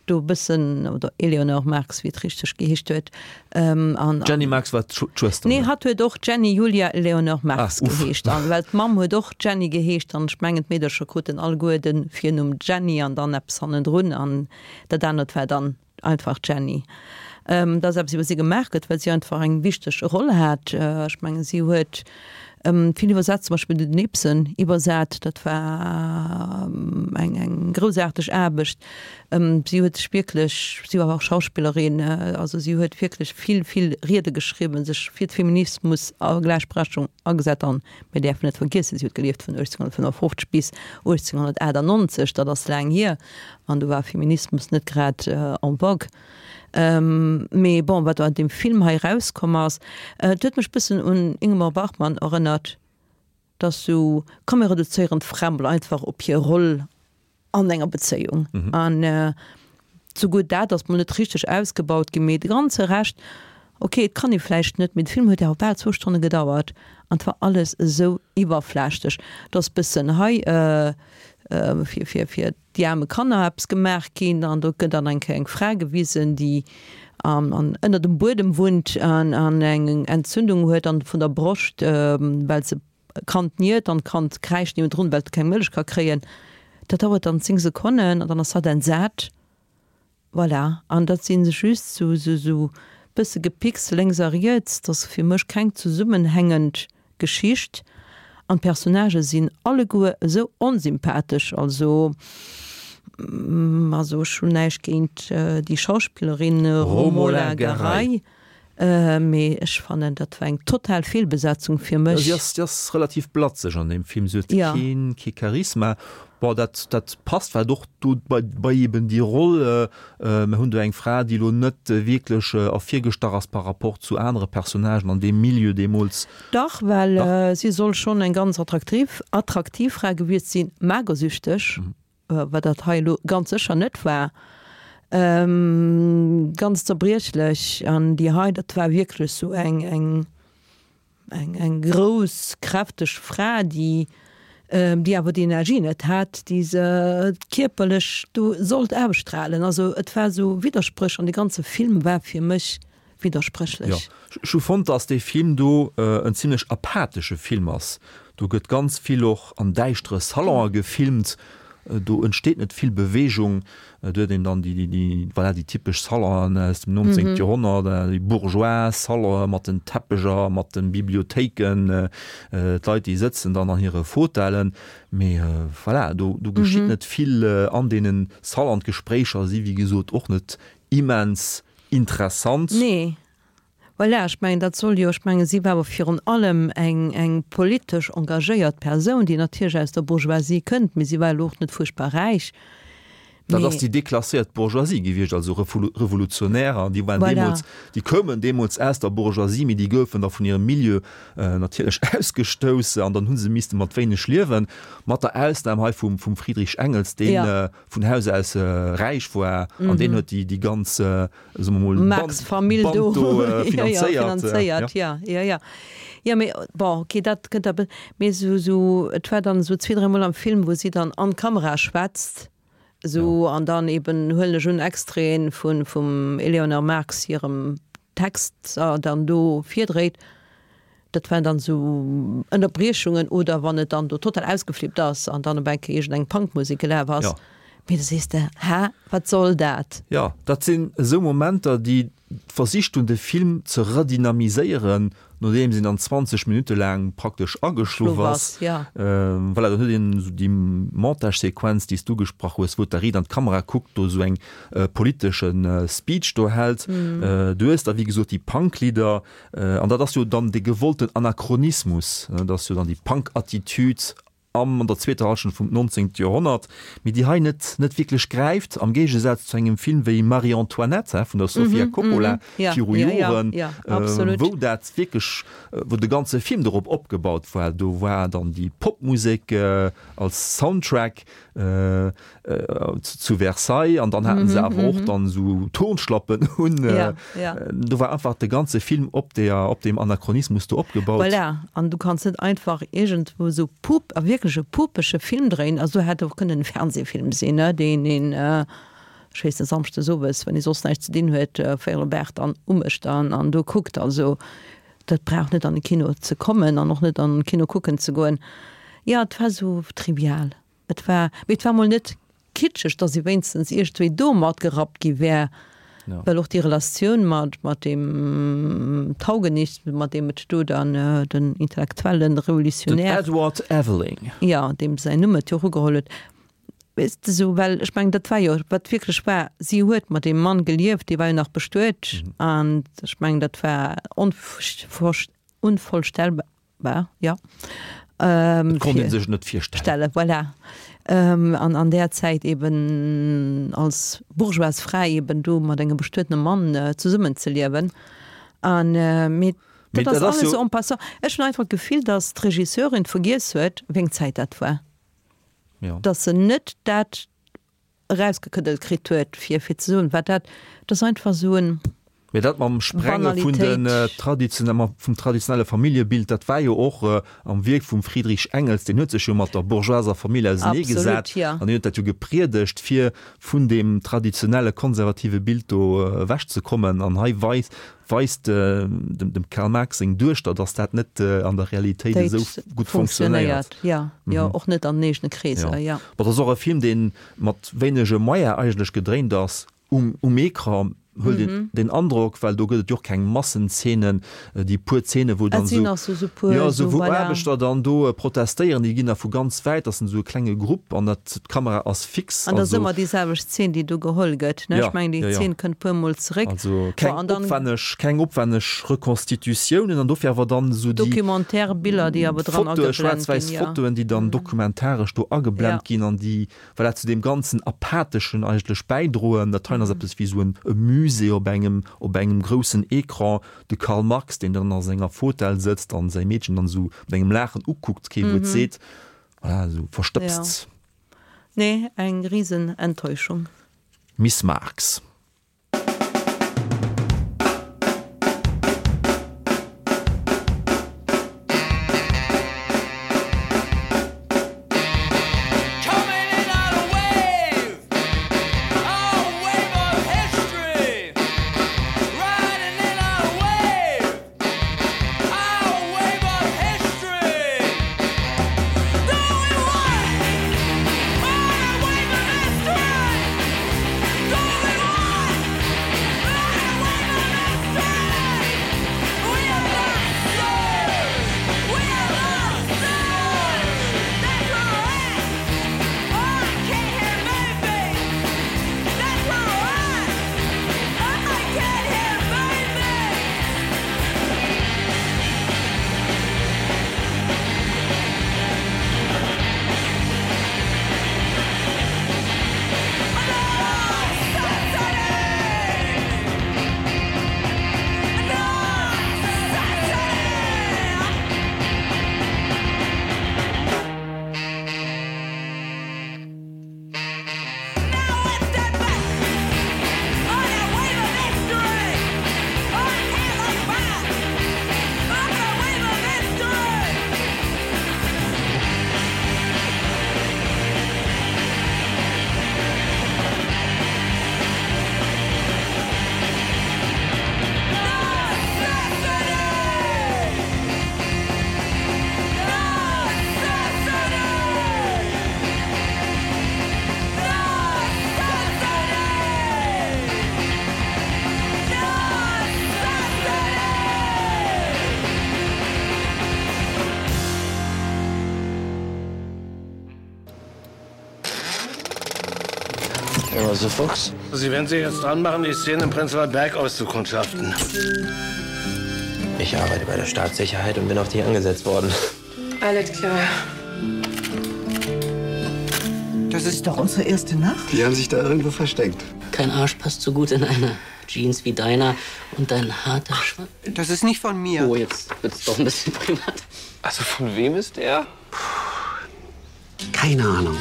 do e bëssen, oder Eleanor Marx, wéi et richteg geheescht huet, an. D'Jenny Marx war d'Schwëster, Nee, hatt huet och Jenny Julia Eleanor Marx geheescht. An well d'Mamm huet och Jenny geheescht an ech mengen d'Meedercher kruten alleguer de Virnumm Jenny an dann eppes hannendrun an dat anert war dann einfach Jenny. Dass eppes iwwer si gemaach gëtt, well si einfach eng wichteg Roll hat. Ech mengen si huet vill iwwersat, zum Beispill den Ibsen iwwersat, dat war eng eng groussaarteg Aarbecht. Si huet sech wierklech, si war och Schauspillerin, also si huet wierklech vill, vill Riede geschriwwen, sech fir d'Feminismus a Gläichberechtigung agesat an mir däerfen net vergiessen, si huet gelieft vun uechtzénghunnertfënnefofzeg bis uechtzénghunnertachtannonzeg, dat ass laang hier an do war Feminismus net grad en vogue. Mee bon, wat an deem Film hei erauskomm ass, et huet mech bëssen un Ingmar Bergman erënnert, dass sou, komm mir reduzéieren d'Fra mol einfach op hir Roll an enger Bezéiung. An souguer dat ass mol net richteg ausgebaut ginn, mee de ganze Rescht, ok, et kann ee vläicht net, mee de Film huet awer bal zwou Stonne gedauert an et war alles esou iwwerflächlech, dass bëssen hei fir, fir, fir déi aarme Kanner eppes gemaach ginn an do gëtt dann eng Kéier eng Fra gewisen, déi an, an ënner dem Buedem wunnt an, an eng Entzündung huet an vun der Broscht, well se e Kand niert an d'Kand kräischt niewendrun, well et keng Mëllech ka kréien. Dat dauert dann zéng Sekonnen an dann ass hatt entsat. Voilà, an dat si just sou, sou, sou bësse Gepicks lénks a riets. Dat ass fir mech keng zesummenhängend Geschicht. An d'Personnagë sinn alleguer esou onsympathesch. Also, also ech hunn näischt géint déi Schauspillerin Romola Garai, mee ech fannen, dat war eng total Feelbesetzung fir mech. Si ass, si ass relativ blatzeg an deem Film. Si huet keen, kee Charisma. Bon, dat, dat passt vläicht och do bei, bei eben déi Roll. Mir hunn do eng Fra, déi elo net wierklech ervirgestach ass par rapport zu anere Personnagen an deem Milieu deemools. Dach, well si soll schonn eng ganz attraktiv, attraktiv Fra gewiescht sinn, magersüchteg, wat dat hei elo ganz sécher net war, ganz zerbriechlech. An déi hei, dat war wierklech esou eng, eng, eng, eng grouss, kräfteg Fra, déi, déi awer déi Energie net hat, déi se kierperlech do sollt ausstrahlen. Also et war esou Widderspréch an de ganze Film war fir mech widderspréchlech. Jo, ech hu fonnt, dass dee Film do en zimlech apathesche Film ass. Do gëtt ganz vill och an däischtere Salonë gefilmt, do entsteet net vill Beweegung. Do huet een dann déi, déi, voilà, déi typesch Salonen aus dem nonzéngte Joerhonnert, déi bourgeois Salonen mat den Teppecher, mat de Bibliothéiken, d'Leit, déi sëtzen dann an hire Fauteuilen. Mee voilà, do, do geschitt net vill an deene Salonen. D'Gespréicher si wéi gesot och net immens interessant. Nee. Voilà, ech mengen, dat soll jo, ech mengen, si war awer virun allem eng, eng politesch engagéiert Persoun, déi natierlech aus der Bourgeoisie kënnt, mee si war elo och net fuerchtbar räich. Dat ass déi deklasséiert Bourgeoisie gewiescht, also Revolutionärer, déi waren deemools, déi koumen deemools aus der Bourgeoisie, mee déi goufen da vun hirem Milieu natierlech ausgestouss an dann hu se misste mat wéineg liewen, mat der Ausnam hei vum vum Friedrich Engels, dee vun Haus aus räich war an deen huet déi déi ganz, soe mer mol, Marx-Famill do finanzéiert. Jo, jo, jo. Jo, mee bon, okay, dat kënnt da, mee esou, esou, et war dann esou zwee, dräimol am Film, wou si dann an d'Kamera schwätzt. Esou, an dann eben huelen ech un Extraiten vun vum Eleonore Marx hirem Text dann do virdréit. Dat waren dann esou Ënnerbriechungen oder wann et dann do total ausgeflippt ass an dann op eng Kéier iergendeng Punkmusek gelaf ass. Mee da sees de, Hä, wat soll dat? Jo, dat sinn esou Momenter, déi versicht hunn, de Film ze redynamiséieren, nodeems een dann zwanzeg Minutte laang praktesch ageschlof ass. Voilà, dann huet een esou déi Montagesequenz, déi s du ugesprach hues, wou d'Arid an d'Kamera kuckt, do esou eng politesche Speech do hält. Du hues da wéi gesot déi Punk-Lidder, an dat ass jo dann dee gewollten Anachronismus, dat ass jo dann déi Punk-Attitüd am an der zweeter Hallschent vum nonzéngte Joerhonnert, mee déi hei net net wierklech gräift, am Géigesaz zu engem Film wéi Marie-Antoinette vun der Sofia Coppola viru Joren, wou dat wierklech, wou de ganze Film dorop opgebaut war. Do war dann déi Popmusek als Soundtrack zu Versailles an dann haten se awer och dann esou Turnschlappen un. Do war einfach de ganze Film op der, op deem Anachronismus do opgebaut. Voilà, an du kanns net einfach iergendwou esou pup, a wierklech e pupege Film dréinen. Also hätt och kënnen e Fernsehfilm sinn, ne, deen een, ech weess net, samschdes owes, wann ee soss näischt ze dinn huet, véierel op aacht dann umécht an an do kuckt. Also dat brauch net an de Kino ze kommen an och net an de Kino kucken ze goen. Jo, et war esou trivial. Et war, mee et war mol net kitscheg, datt si wéinstens iergendwéi do matgerappt gi wär, well och déi Relatioun mat, mat deem Taugenichts, mat deem et do dann den intellektuellen Revolutionär. Den Edward Aveling. Jo, deem säin Numm et jo och ugeholl huet. Weess de, esou, well ech mengen, dat war jo, wat wierklech war, si huet mat deem Mann gelieft, dee war jo nach bestuet an ech mengen, dat war onvorstellbar. War, ja. Ähm, Et konnt ee sech net virstellen. Stelle, voilà. Ähm, an an där Zäit eben als bourgeoise Fra eben do mat engem bestuetene Mann äh, zesummenzeliewen. An äh, mee Mee dat ass dat ass alles jo. sou en passant. Ech hunn einfach d'Gefill, datt d'Regisseurin vergiess huet, wéi eng Zäit dat war. Ja. Datt se net dat erausgekëddelt kritt huet, fir fir ze soen, wat dat, dat ass einfach esou en. Mee dat mam Sprenge vun den traditionelle, vum traditionelle Familljebild, dat war jo och am Wierk vum Friedrich Engels, deen huet sech jo mat der bourgeoiser Famill auseneegesat an deen huet dat jo gepriedegt, fir vun deem traditionelle konservative Bild do ewechzekommen. An hei weist, weist dem Karl Marx seng Duechter, datt dat net an der Realitéit esou gutt funktionéiert. Jo, jo, och net an den eegene Kreeser, jo. Bon, dat ass och e Film, dee mat wéinege Moyene eigentlech gedréint ass. Um um Ecran huet een den Androck, well do gëtt et jo och keng Massenzeenen, déi puer Zeene wou dann esou, jo esou wou Aarbechter dann do protestéieren, déi ginn da vu ganz wäit, dat sinn esou e klenge Grupp an dat d'Kamera ass fix. An dat ass ëmmer déi selwecht Zeen, déi do geholl gëtt, ne? Ech mengen déi Zeen kënnt puer mol zeréck. Also keng opwänneg, keng opwänneg Reconstitutiounen an dofir awer dann esou déi Documentaire Biller, déi awer dran Fotoe, ageblent ginn, schwaarz-wäiss Fotoen, déi dann dokumentaresch do ageblent ginn an déi voilà, zu deem ganzen Apatheschen eigentlech bäidroen. Dat heien ass eppes wéi esou en Musée op engem, op engem groussen Ecran. De Karl Marx, deen dann a senger Fotell sëtzt an säi Meedchen dann esou mat engem Laachen ukuckt, kee Wuert seet. Voilà, esou verstëbst. Jo. Nee, eng risen Enttäuschung. Miss Marx. Genosse Fuchs. Sie werden sich jetzt dran machen, die Szene im Prenzlauer Berg auszukundschaften. Ich arbeite bei der Staatssicherheit und bin auf dich angesetzt worden. Alles klar. Das ist doch unsere erste Nacht. Die haben sich da irgendwo versteckt. Kein Arsch passt so gut in eine Jeans wie deiner und dein harter Schwanz. Das ist nicht von mir. Oh, jetzt wird's doch ein bisschen privat. Also von wem ist der? Keine Ahnung.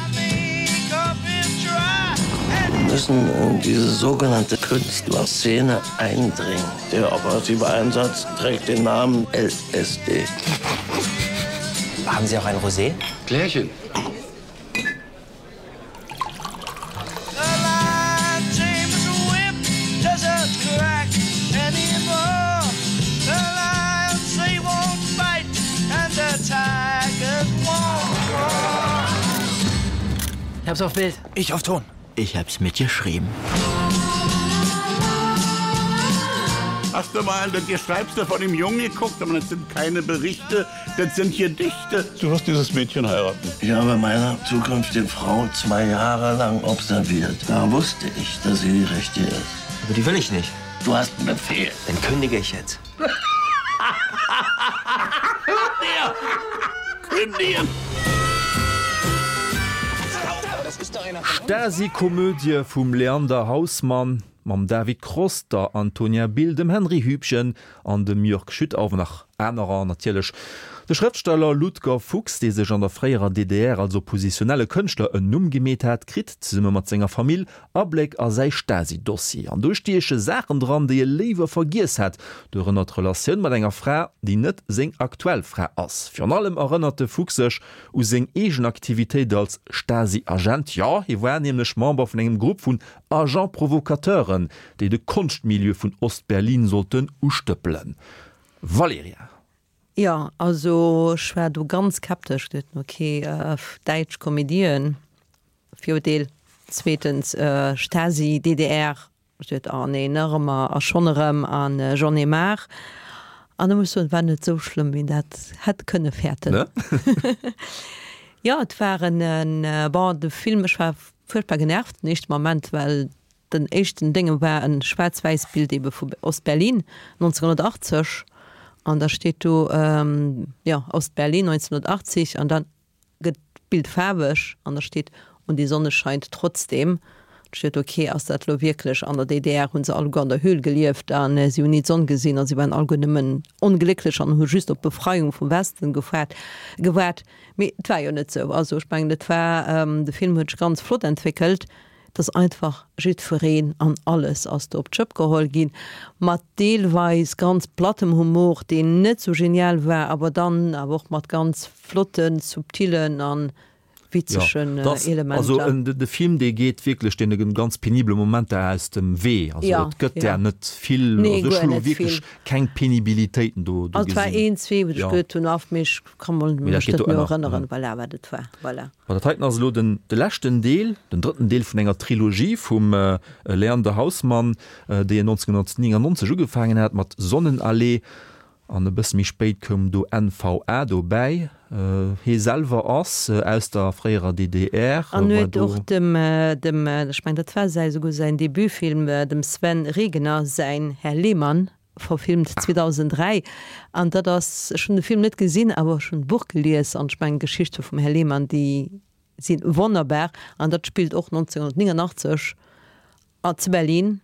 Wir müssen in diese sogenannte Künstlerszene eindringen. Der operative Einsatz trägt den Namen L S D. Haben Sie auch ein Rosé? Klärchen. Ich hab's auf Bild. Ich auf Ton. Ich hab's mitgeschrieben. Hast du mal das Geschreibste von dem Jungen geguckt? Aber das sind keine Berichte, das sind Gedichte. Du wirst dieses Mädchen heiraten. Ich habe meine zukünftige Frau zwei Jahre lang observiert. Da wusste ich, dass sie die Richtige ist. Aber die will ich nicht. Du hast einen Befehl. Dann kündige ich jetzt. Ja, kündigen! Stasi-Komödie vum Leander Hausmann, mam David Kross, der Antonia Bill, dem Henry Hübchen an dem Jörg Schüttauf nach anerer natierlech. De Schrëftsteller Ludger Fuchs, dee sech an der fréierer D D R als oppositionelle Kënschtler en Numm gemeet hat, kritt zesumme mat senger Famill Abléck a säi Stasi-Dossier. An do stieche Saachen dran, déi e léiwer vergiess hat, dorënner d'Relatioun mat enger Fra, déi net seng aktuell Fra ass. Virun allem erënnert de Fuchs sech u seng eegen Aktivitéit als Stasi-Agent. Ja, hie war nämlech Member vun engem Grupp vun Agent-Provocateuren, déi de Konschtmilieu vun Ost-Berlin sollten ustëppelen. Valeria. Ja, also ich war do ganz skeptisch, dachte, okay, äh, Däitsch Komödien, Virdeel, zweitens, äh, Stasi, D D R, ich dachte, ah, nee, nach immer, ah, schon erëm, an, äh, J'en ai marre. An da muss ich sagen, war net so schlimm, wie dat hätt kënne fäerten. Ne? Ja, et war en, en, äh, bon, de Film, ich war furchtbar genervt, den ersten Moment, well den éischten Dinge war en Schwarz-Weiß-Bild eben vu Ost-Berlin neunzehnhundertachtzig. An da steht do, ähm, ja, Ost-Berlin neunzehnhundertachtzig an dann gëtt d'Bild faarweg an da steht und die Sonne scheint trotzdem. Da steht, okay, ass dat lo wirklich an der D D R hunn se alleguer an der Höhl gelieft an, äh, sie hunn nie d'Sonn gesinn an sie waren alleguer nëmmen onglécklech an hu just op Befreiung vum Westen gefährt, gewaart. Mee et war jo net so. Also, ich mein, dat war, ähm, de Film huet sich ganz flott entwickelt, dass einfach jiddwereen an alles ass do op d'Schëpp geholl ginn, mat deelweis ganz plattem Humor, deen net so genial war, aber dann awer och mat ganz flotten, subtilen an witzegen, Ja, das, äh, Elementer. Also, en, de, de Film, dee geet wirklich den ganz penible Momenter aus dem Wee. Also, Ja, et gëtt ja. der net vill, Nee, also, ech guer hu lo net wirklich vill. keng Penibilitäten do, do Also, et war gesinn. een, zwee, wou ech Ja. gehört hunn, auf mich kann man Mee dat mech geet net do méi ënner, erënneren, ja. voilà, wat et war. Voilà. Ma dat heiten ass lo den, de leschten Deel, den drëtten Deel vun enger Trilogie vum, äh, Leander Hausmann, äh, dee neunzehnhundertneunundneunzig ugefaangen hat mat Sonnenallee. An e bësse méi spéit koum do N V A dobäi. Äh, hie selwer ass, äh, aus der fréierer D D R, An war huet do och dem, äh, dem, äh, ich mein, dat war säi, souguer säin Debütfilm, äh, dem Sven Regener säin Herr Lehmann verfilmt Ah. zweitausenddräi. An dat ass, ech hunn de Film net gesinn, awer schon Buch gelies an ich mein, Geschichte vum Herr Lehmann, déi sinn wonnerbar. An dat spielt och neunzehnhundertneunundachtzig a zu Berlin,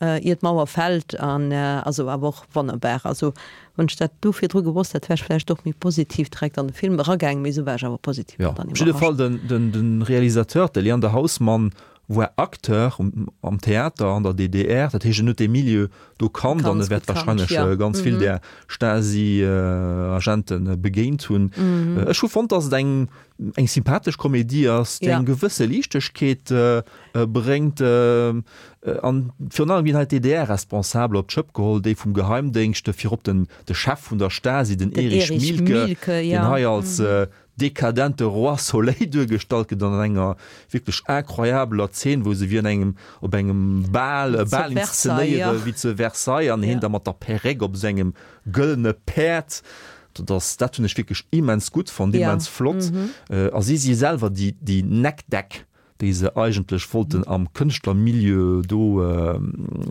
äh, ier d'Mauer fällt an, äh, also awer och wonnerbar. Also, wann ich dat du virdru gewosst hätt, wär ich vielleicht doch méi positiv direkt an den Film eragaangen, mee so war ich awer positiv Ja, dann op jidde überrascht. Fall den, den, den Realisateur, de Leander Hausmann, war Acteur um, am Theater an der D D R, dat heescht, en huet de Milieu do kannt, an Ganz e wäert gut kannt, wahrscheinlech, ja. äh, ganz vill Mhm. der Stasi-Agenten, äh, Agenten begéint hunn. Mhm. Äh, ech hu fonnt, dass et eng, eng sympathesch Komödie ass, déi Ja. eng gewësse Liichtegkeet, äh, äh, bréngt, äh, äh, an virun allem ginn halt D D R-Responsabel op d'Schëpp geholl, déi vum Geheimdienst, virop den, de Chef vun der Stasi, den Den Erich Erich Mielke, Mielke, den ja. hei als, Mhm. äh, dekadente Roi Soleil duergestallt gëtt an enger wirklich incroyabeler Szene, wo se wie an engem, op engem Bal, äh, Zu Bal Versailles, inszenéiere, ja. wie zu Versailles, an Ja. hin da mat der Perréck op sengem gëllene Päerd. Das, dat hunn ech wirklich immens gutt fand, Ja. immens flott. Mhm. Äh, a si si selwer die, die Neckdeck, déi se eigentlech wollten am Kënschtlermilieu do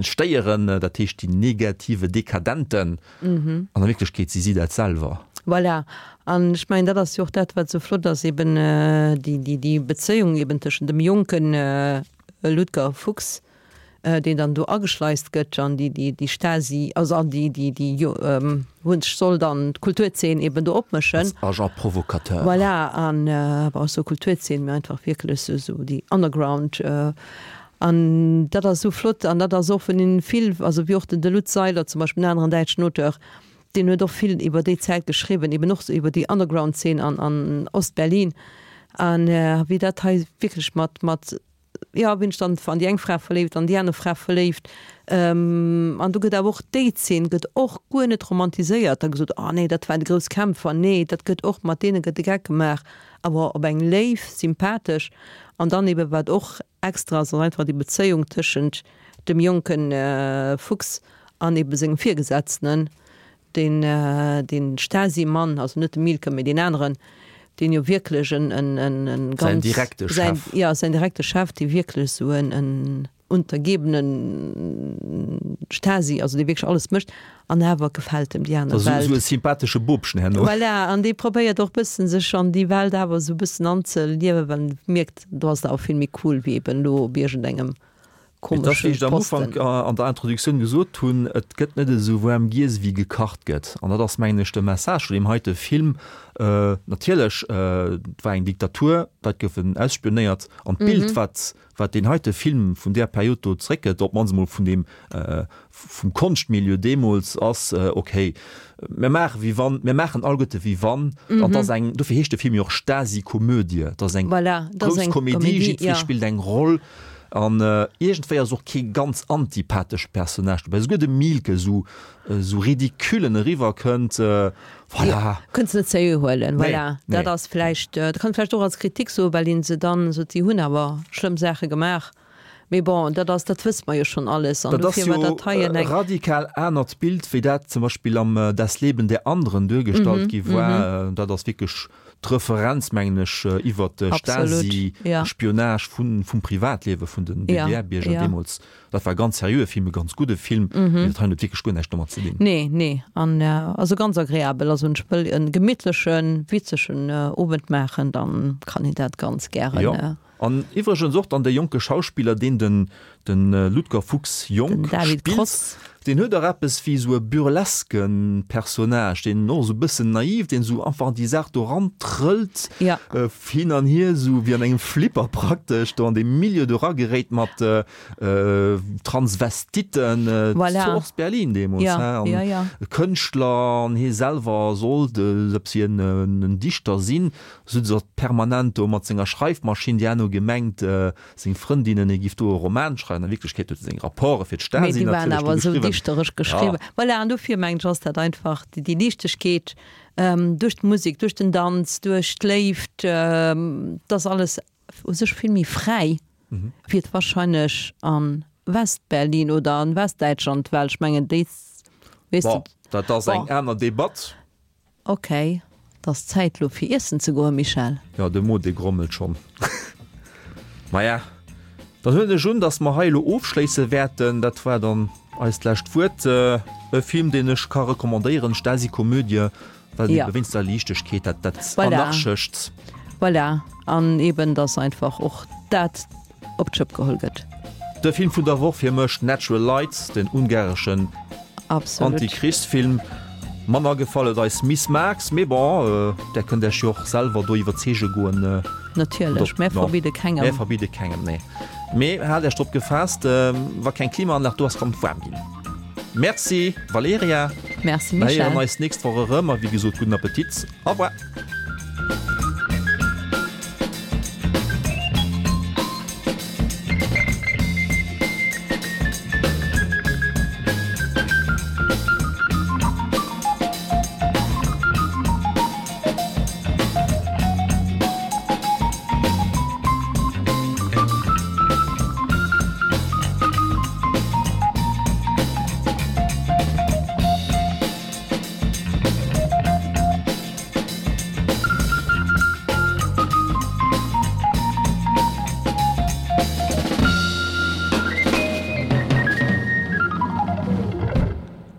stéieren, dat heescht déi negative Dekadenten. An a Wierklechkeet si si dat selwer. Voilà. An ech mengen, dat ass jo och dat, wat esou flott ass, eben déi, déi, déi Bezéiung eben tëschent dem jonken Ludger Fuchs, deen dann do ageschleist gëtt an déi, déi, déi Stasi, also an déi, déi, déi jo, wou en sech soll dann d'Kulturzeen eben do opmëschen. Als Agent provocateur. Voilà, an awer och sou Kulturzeen, mee einfach wierklech sou, sou déi Underground. An dat ass esou flott an dat ass och vun deenen vill, also wéi och den de Lutz Seiler zum Beispill, en aneren däitschen Auteur, deen huet och vill iwwer déi Zäit geschriwwen, eben och sou iwwer déi Underground-Zeen an, an Ost-Berlin. An wéi dat hei wierklech mat, mat jo, wien sech dann an déi eng Fra verléift, an déi aner Fra verléift. An do gëtt awer och déi Zeen gëtt och guer net romantiséiert, da gesot, oh nee, dat waren déi grouss Kämpfer. Nee, dat gëtt och, mat deene gëtt de Geck gemaach, awer op eng léif, sympathesch an dann ebe wat och extra ass, ass einfach déi Bezéiung tëschent dem jonke Fuchs an ebe sengem Virgesetzten, deen, deen Stasi-Mann, also net de Mielke, mee deen aneren, deen jo wierklech en, en, en, en Säin ganz, direkte säin, Chef. jo, säin direkte Chef, dee wierklech esou en, en untergebene Stasi, also dee wierklech alles mécht, an awer gefält em déi aner Esou, Welt. esou e sympathesche Bobchen herno. Voilà, an dee probéiert och bëssen sech an déi Welt awer esou bëssen anzeliewen, well en mierkt, do ass et awer vill méi cool wéi eben elo op iergendengem Et ass, wéi ech komesche am Ufank Posten. an der Introduktioun gesot hunn, et gëtt net esou waarm giess wéi gekacht gëtt. An dat ass, mengen ech, de Message vun deem heite Film. Natierlech, et war eng Diktatur, d'Leit goufen ausspionéiert. An d'Bild, wat, wat deen heite Film vun där Period do zeréckgëtt, op d'mannst emol vun deem, vum Konschtmilieu deemools, ass, okay, mir maache wéi wann, mir maachen alleguerte wéi wann. An et ass eng, dofir heescht de Film jo och Stasi-Komödie, et ass eng Voilà, et ass grouss eng Komedie, Komedie, jiddweree jo. spillt eng Roll. An iergendwéi ass och kee ganz antipathesche Personnage dobäi. Souguer de Mielke, esou esou ridicule en eriwwer kënnt, voilà. Kënns net seriö huelen, Nee, voilà. nee. Dat ass vläicht, dat kann ee vläicht och als Kritik soen, well een se dann sot, si hunn awer schlëmm Saache gemaach. Mee bon, dat ass, dat wësse mer jo schonn alles. An Dat ass dofir war jo dat hei e en eng. radikal anert Bild, wéi dat zum Beispill am Das Leben der Anderen duergestallt gi war. Dat ass wierklech d'Referenz, mengen ech, iwwert d'Stasi-Spionage vum Privatliewe vun den D D R-Bierger deemools. Dat war e ganz seriöe Film, e ganz gudde Film, mee dat hei huet wierklech guer näischt domat ze dinn. Nee, nee, an also ganz agreabel. Also ech wëll e gemittlechen, witzegen Owend maachen, dann kann een dat ganz gären. Jo, an iwwregens och dann dee jonke Schauspiller, deen den de Ludger Fuchs jonk spillt, deen huet och eppes wéi esou e burleske Personnage, deen och esou e bëssen naiv, deen esou einfach an déi Saach do erantrëllt, hin an hier, esou wéi an engem Flipper praktesch, do an dee Milieu do erageréit mat Transvestiten, zu Ost-Berlin deemools, he, an Kënschtler, an hie selwer sollt, ob si en Dichter sinn, sou se permanent do mat senger Schreifmaschinn, déi herno gemengt, Seng Frëndinnen, hie giff do e Roman schreiwen, a Wierklechkeet huet e seng Rapporte fir Mee d'Stasi déi waren natierlech do awer esou geschriwwen. dichteresch Ja. geschriwwen. Voilà, an dofir mengen ech, ass dat einfach déi, déi Liichtegkeet duerch d'Musek, duerch den Danz, duerch d'Léift, dat ass alles u sech vill méi fräi, wéi et wahrscheinlech a West-Berlin oder an Westdäitschland war. Ech mengen, déi, weess de. Bon, dat ass eng Bon. aner Debatt. Ok, et ass Zäit lo fir iessen ze goen, Michèle. Jo, de Mo dee grommelt schonn. Maja, dann huelen ech un, dass mer hei elo ofschléisse wäerten. Dat war dann eist lescht Wuert. E Film, deen ech ka recommandéieren, Stasi-Komödie, well Ja. ebe wéinst der Liichtegkeet, dat, dat Voilà. Anarchescht. Voilà, an eben, dass einfach och dat op d'Schëpp geholl gëtt. De Film vun der Woch fir mech, Natural Light, den ungareschen Antichrist-Film. Manner gefall huet eis Miss Marx, mee bon, där kënnt Iech jo och selwer do iwwerzeege goen. Natierlech, mär verbidde kengem. Mär verbidde kengem, nee. Mee haalt Iech drop gefaasst, wa keng Klimaanlag do ass, kann et waarm ginn. Merci Valerija. Merci Mir Michèle. héieren eis d'nächst Woch erëm a wéi gesot, gudden Appetit. Au revoir.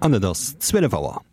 An et ass zwielef Auer.